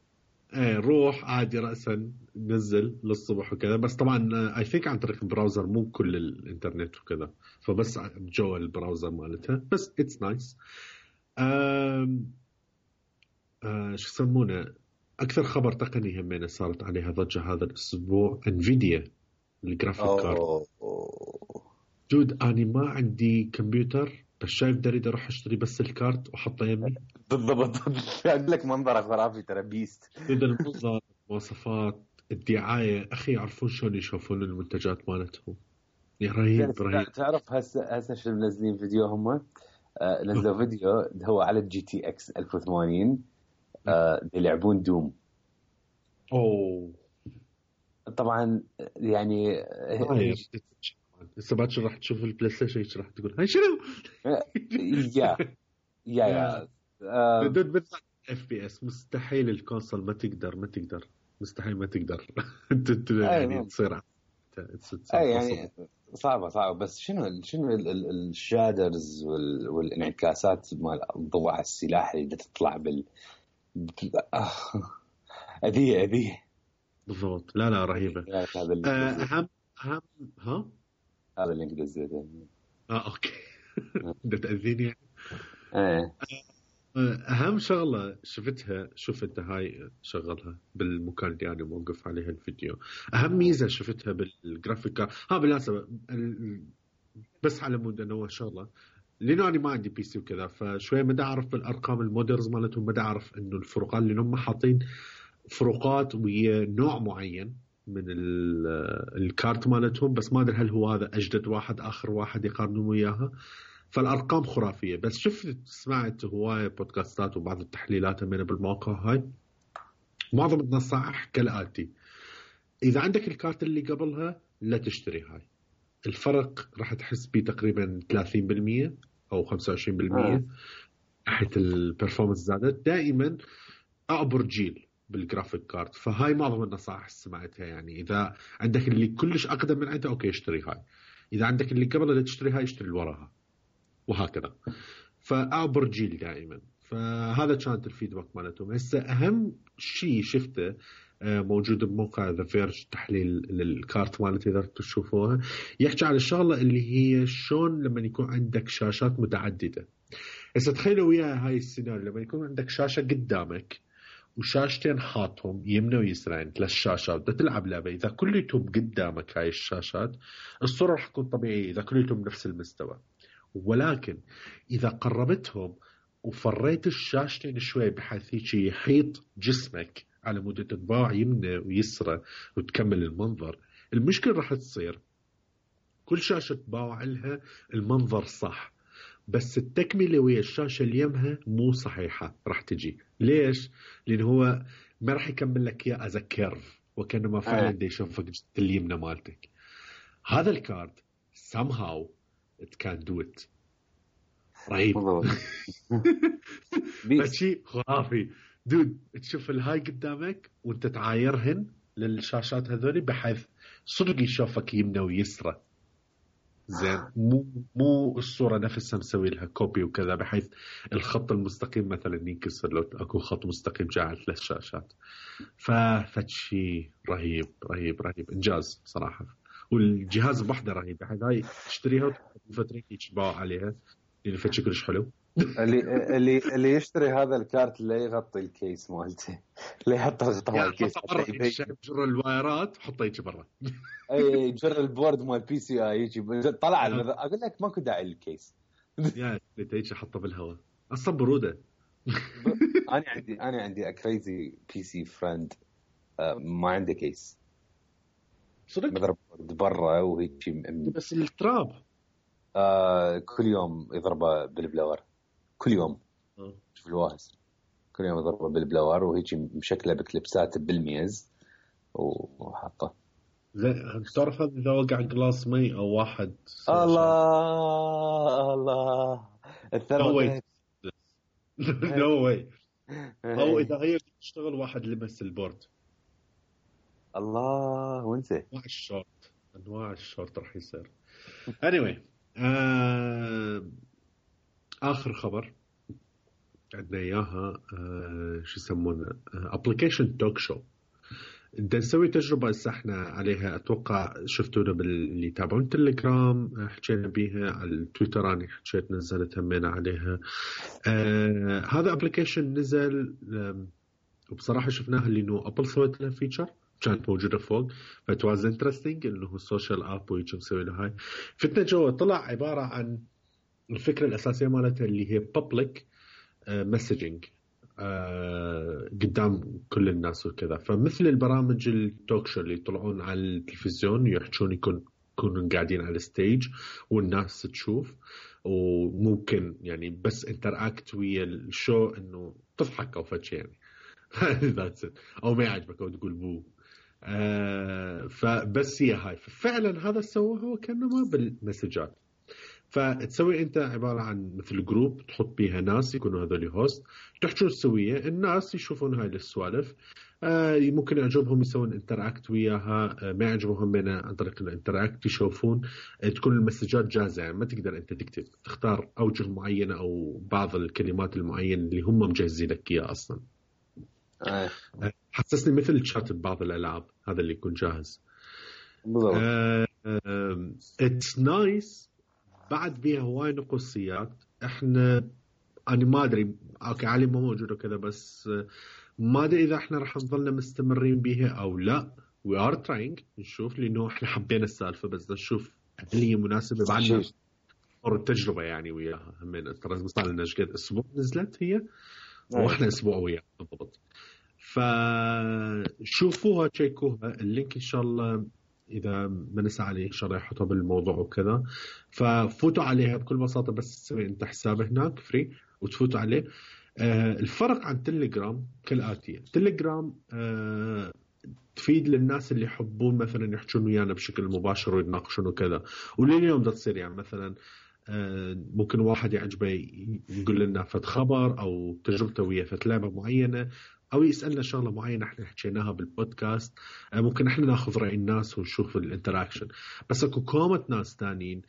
روح عادي رأسا نزل للصبح وكذا. بس طبعا اي ثينك عن طريق البراوزر مو كل الانترنت وكذا فبس جوا البراوزر مالتها بس اتس نايس. شو يسمونه اكثر خبر تقني همين صارت عليها ضجة هذا الاسبوع انفيديا الجرافيك كارد. جود اني ما عندي كمبيوتر بس شايف دريد اروح اشتري بس الكارت واحطه يمي.
بالضبط. اقول لك منظره خرافي ترى بيست.
المنظر المواصفات الدعايه اخي يعرفون شلون يشوفون المنتجات مالتهم. يا رهيب.
تعرف هسه شو منزلين فيديو هم نزلوا فيديو هو على الجي تي اكس 1080 يلعبون دوم.
اوه
طبعا يعني
هسه باكر راح تشوف البلاي ستيشن راح تقول هاي شنو
يا
بدون بس اف بي اس مستحيل الكونسول ما تقدر مستحيل ما تقدر انت يعني تصير
يعني صعبه بس شنو الشادرز والانعكاسات مال الضوء على السلاح اللي تطلع اذيه
بالضبط. لا رهيبه. اهم ها
هذا اللي انت دزيته
اوكي بدك تاذيني
يعني.
اهم شغله شفت هاي شغلها بالمكان اللي انا موقف عليها الفيديو. اهم ميزه شفتها بالجرافيك بالمناسبه بس على مود انه شغله لانه انا ما عندي بي سي وكذا فشويه ما اعرف بالارقام المودرز مالتهم. ما اعرف انه الفروقات اللي هم حاطين فروقات ويا نوع معين من الكارت مالتهم بس ما ادري هل هو هذا اجدد واحد اخر واحد يقارنون وياها. فالارقام خرافيه. بس سمعت هوايه بودكاستات وبعض التحليلات من بالموقع هاي. معظم النصائح كالاتي اذا عندك الكارت اللي قبلها لا تشتري هاي. الفرق راح تحس بيه تقريبا 30% او 25% ناحيه البرفورمانس زادت. دائما اعبر جيل بالجرافيك كارد، فهاي معظم النصائح سمعتها. يعني اذا عندك اللي كلش اقدم من عنده اوكي اشتري هاي، اذا عندك اللي قبل لا تشتري هاي اشتري اللي وراها، وهكذا. فاعبر جيل دائما. فهذا كانت الفيدباك مالتهم. هسه اهم شيء شفته موجود بموقع ذا فيرج، تحليل للكارت مالتي اذا تشوفوها، يحكي عن الشغله اللي هي شلون لما يكون عندك شاشات متعدده. هسه تخيلوا وياي هاي السيناريو، لما يكون عندك شاشه قدامك وشاشتين حاطهم يمنى ويسرين، 3 شاشات بدك تلعب لعبه، اذا كليتهم قدامك هاي الشاشات الصوره راح تكون طبيعيه اذا كليتهم نفس المستوى. ولكن اذا قربتهم وفريت الشاشتين شوي بحيث هيك يحيط جسمك على مود تتباع يمنى ويسرى وتكمل المنظر، المشكله راح تصير كل شاشه تباوع لها المنظر صح، بس التكمله ويا الشاشه اللي يمها مو صحيحه راح تجي. ليش؟ لان هو ما راح يكمل لك اياه از كيرف، وكانما فعلا دي يشوفك اليمنى مالتك. هذا الكارد somehow it can do it. رهيب. فشي خرافي دود. تشوف الهاي قدامك وانت تعايرهن للشاشات هذولي بحيث صدق يشوفك يمنى ويسرى. زين، مو الصورة نفسها مسوي لها كوبي وكذا بحيث الخط المستقيم مثلا ينكسر لو اكو خط مستقيم جاء على 3 شاشات. فشي رهيب رهيب رهيب، انجاز صراحة. والجهاز بوحده رهيب، بحيث هاي تشتريها وفترة يتباع عليها لأن فتشي كلش حلو.
اللي يشتري هذا الكارت لا يغطي الكيس مالته، لا يحط غطاء الكيس،
جر الوايرات حطه يجي برا.
اي جر البورد مال بي سي اي يجي طلع اقول لك ماكو داعي للكيس.
يا تيجي حطه بالهواء اصلا بروده.
انا عندي كريزي بي سي فريند ما عنده كيس
صدق
مذر بورد برا وهيك
بس التراب
كل يوم يضربه بالبلور، كل يوم شوف الواهس كل يوم يضربه بالبلور وهيك مشكله بكليبسات بالميز وحاطه.
تعرف اذا وقع جلاس مي او واحد
الله
الثروه نو واي او اذا هي تشتغل واحد لمس البورد.
الله وانت
انواع الشورت راح يصير. anyway اخر خبر عندنا اياها شو يسمونه ابلكيشن توك شو. انت نسوي تجربه هسه احنا عليها، اتوقع شفتونا باللي يتابعون تليجرام حكينا بيها، على التويتر انا حكيت نزلت همينا عليها. هذا ابلكيشن نزل وبصراحه شفناها اللي انه ابل سوت له فيتشر كانت موجوده فوق، فتواز انترستينج انه السوشيال اب ويجي مسوي له هاي. فتنا جوا طلع عباره عن الفكره الاساسيه مالتها اللي هي بابليك مسجنج قدام كل الناس وكذا. فمثل البرامج التوك شو اللي يطلعون على التلفزيون يحجون يكونوا قاعدين على الستيج والناس تشوف، وممكن يعني بس انتراكت ويا الشو انه تضحك او فشي يعني او ما يعجبك او تقول بو. فبس هي هاي فعلا هذا سووه هو كانما بالمسجات. فتسوي انت عباره عن مثل جروب تحط بيها ناس يكونوا هذول هوست، تحجون سويه الناس يشوفون هاي السوالف. ممكن يعجبهم يسوون انتراكت وياها، ما يعجبهم منها عن طريق الانتراكت يشوفون. تكون المسجات جاهزه يعني ما تقدر انت تكتب، تختار اوجه معينه او بعض الكلمات المعينه اللي هم مجهزين لك اياها اصلا. حسسني مثل تشات ببعض الالعاب هذا اللي يكون جاهز. اتس نايس. بعد بيها هواي نقصيات احنا انا ما ادري اوكي علي ما موجود وكذا، بس ما ادري اذا احنا راح نظلنا مستمرين بيها او لا. وي ار تراينج نشوف لانه احنا حبينا السالفه، بس نشوف هل هي مناسبه بعدنا اور التجربه يعني وياها. همين ترى صار لنا قد اسبوع نزلت هي واحنا اسبوع وياها بالضبط. فشوفوها تشيكوها اللينك ان شاء الله إذا ما نسى عليه إن شاء الله يحطها بالموضوع وكذا. ففوتوا عليها بكل بساطة، بس تسوي أنت حساب هناك فري وتفوتوا عليه. الفرق عن تليجرام كالآتية. تليجرام تفيد للناس اللي يحبون مثلا يحجون ويانا بشكل مباشر ويتناقشون وكذا. ولليوم دا تصير يعني مثلا ممكن واحد يعجبه يقول لنا فد خبر أو تجربته ويا فد لعبة معينة أو يسألنا شغلة معينة احنا حكيناها بالبودكاست. ممكن احنا ناخذ رأي الناس ونشوف الانتراكشن. بس اكو كومة ناس تانيين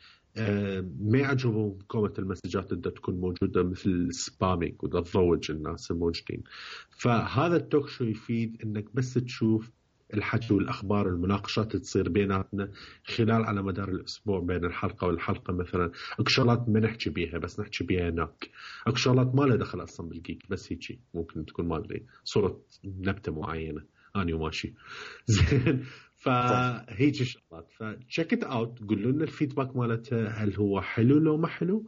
ما يعجبهم كومة المسجات اللي تكون موجودة مثل سبامينج وده تضوج الناس الموجودين. فهذا التوك شو يفيد انك بس تشوف الحكي والأخبار المناقشات تصير بيناتنا خلال على مدار الأسبوع بين الحلقة والحلقة. مثلا أكو شغلات ما نحكي بيها بس نحكي بيها هناك. أكو شغلات ما لها دخل أصلا بالجيك بس هيك ممكن تكون ما أدري صورة نبتة معينة أنا وماشي زين. فهيك شغلات فتشيك ات اوت. قولوا لنا الفيدباك مالتها هل هو حلو لو ما حلو.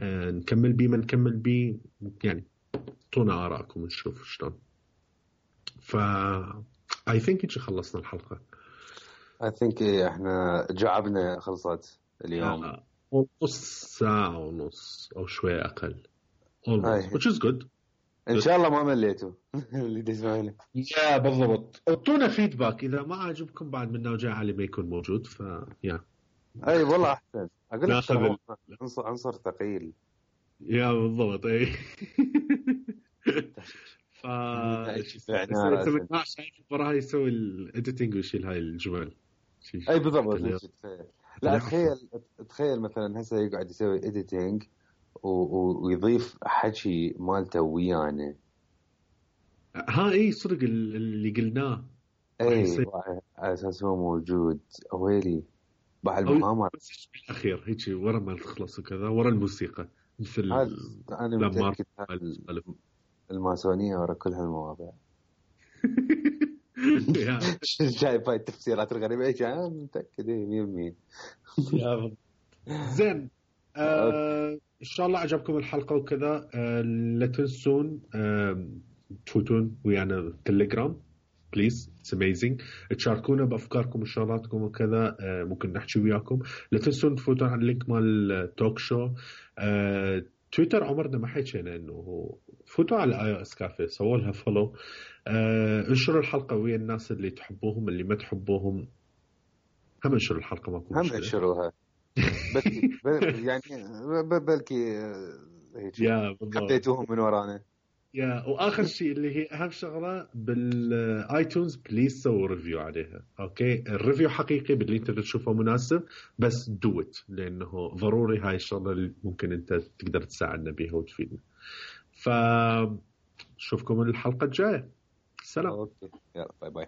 نكمل بيه ما نكمل بيه يعني طونا آراءكم نشوف شلون. I think إيش خلصنا الحلقة.
I think احنا جعبنا خلصت اليوم
نص ساعة ونص أو شوية أقل which is good.
إن شاء الله ما مليتوا اللي تسمعونه.
يا بالضبط. اعطونا فيدباك إذا ما عجبكم بعد منا وجاء علي ما يكون موجود يا
أي والله أحسن أقول لك عنصر ثقيل.
يا بالضبط أي. انت شايف وراها يسوي الاديتنج ويشيل هاي الجمل.
اي بالضبط. لا تخيل مثلا هسه يقعد يسوي اديتنج ويضيف حكي مالته ويانا.
اي صدق اللي قلناه
اي على اساس هو موجود ويلي بعد المؤامرة
بالاخير هيك ورا ما تخلص وكذا ورا الموسيقى مثل
انا متأكد الماسونية ورا كل هالمواضيع. شايف هاي التفسيرات الغريبة ايش انا متأكد 100%.
زين ان شاء الله عجبكم الحلقة وكذا. لا تنسون تفوتون ويانا تليجرام بليز اتس اميزنج. تشاركونا بافكاركم وشغلاتكم وكذا. ممكن نحكي وياكم. لا تنسون تفوتون على اللينك مال التوك شو. تويتر عمرنا ما حكينا انه فوتوا على اي اس كافيه سووا لها فولو. انشروا الحلقه ويا الناس اللي تحبوهم اللي ما تحبوهم هم انشروا الحلقه ماكو
مشكله هم انشروها بس يعني بلكي هيك
يا
حبيتوهم من ورانا.
يا واخر شيء اللي هي اهم شغله بالايتونز بليز سووا ريفيو عليها. اوكي الريفيو حقيقي باللي انت تشوفه مناسب بس دوت لانه ضروري هاي الشغله اللي ممكن انت تقدر تساعدنا بيها وتفيدنا. فشوفكم الحلقه الجايه. سلام.
اوكي يلا باي باي.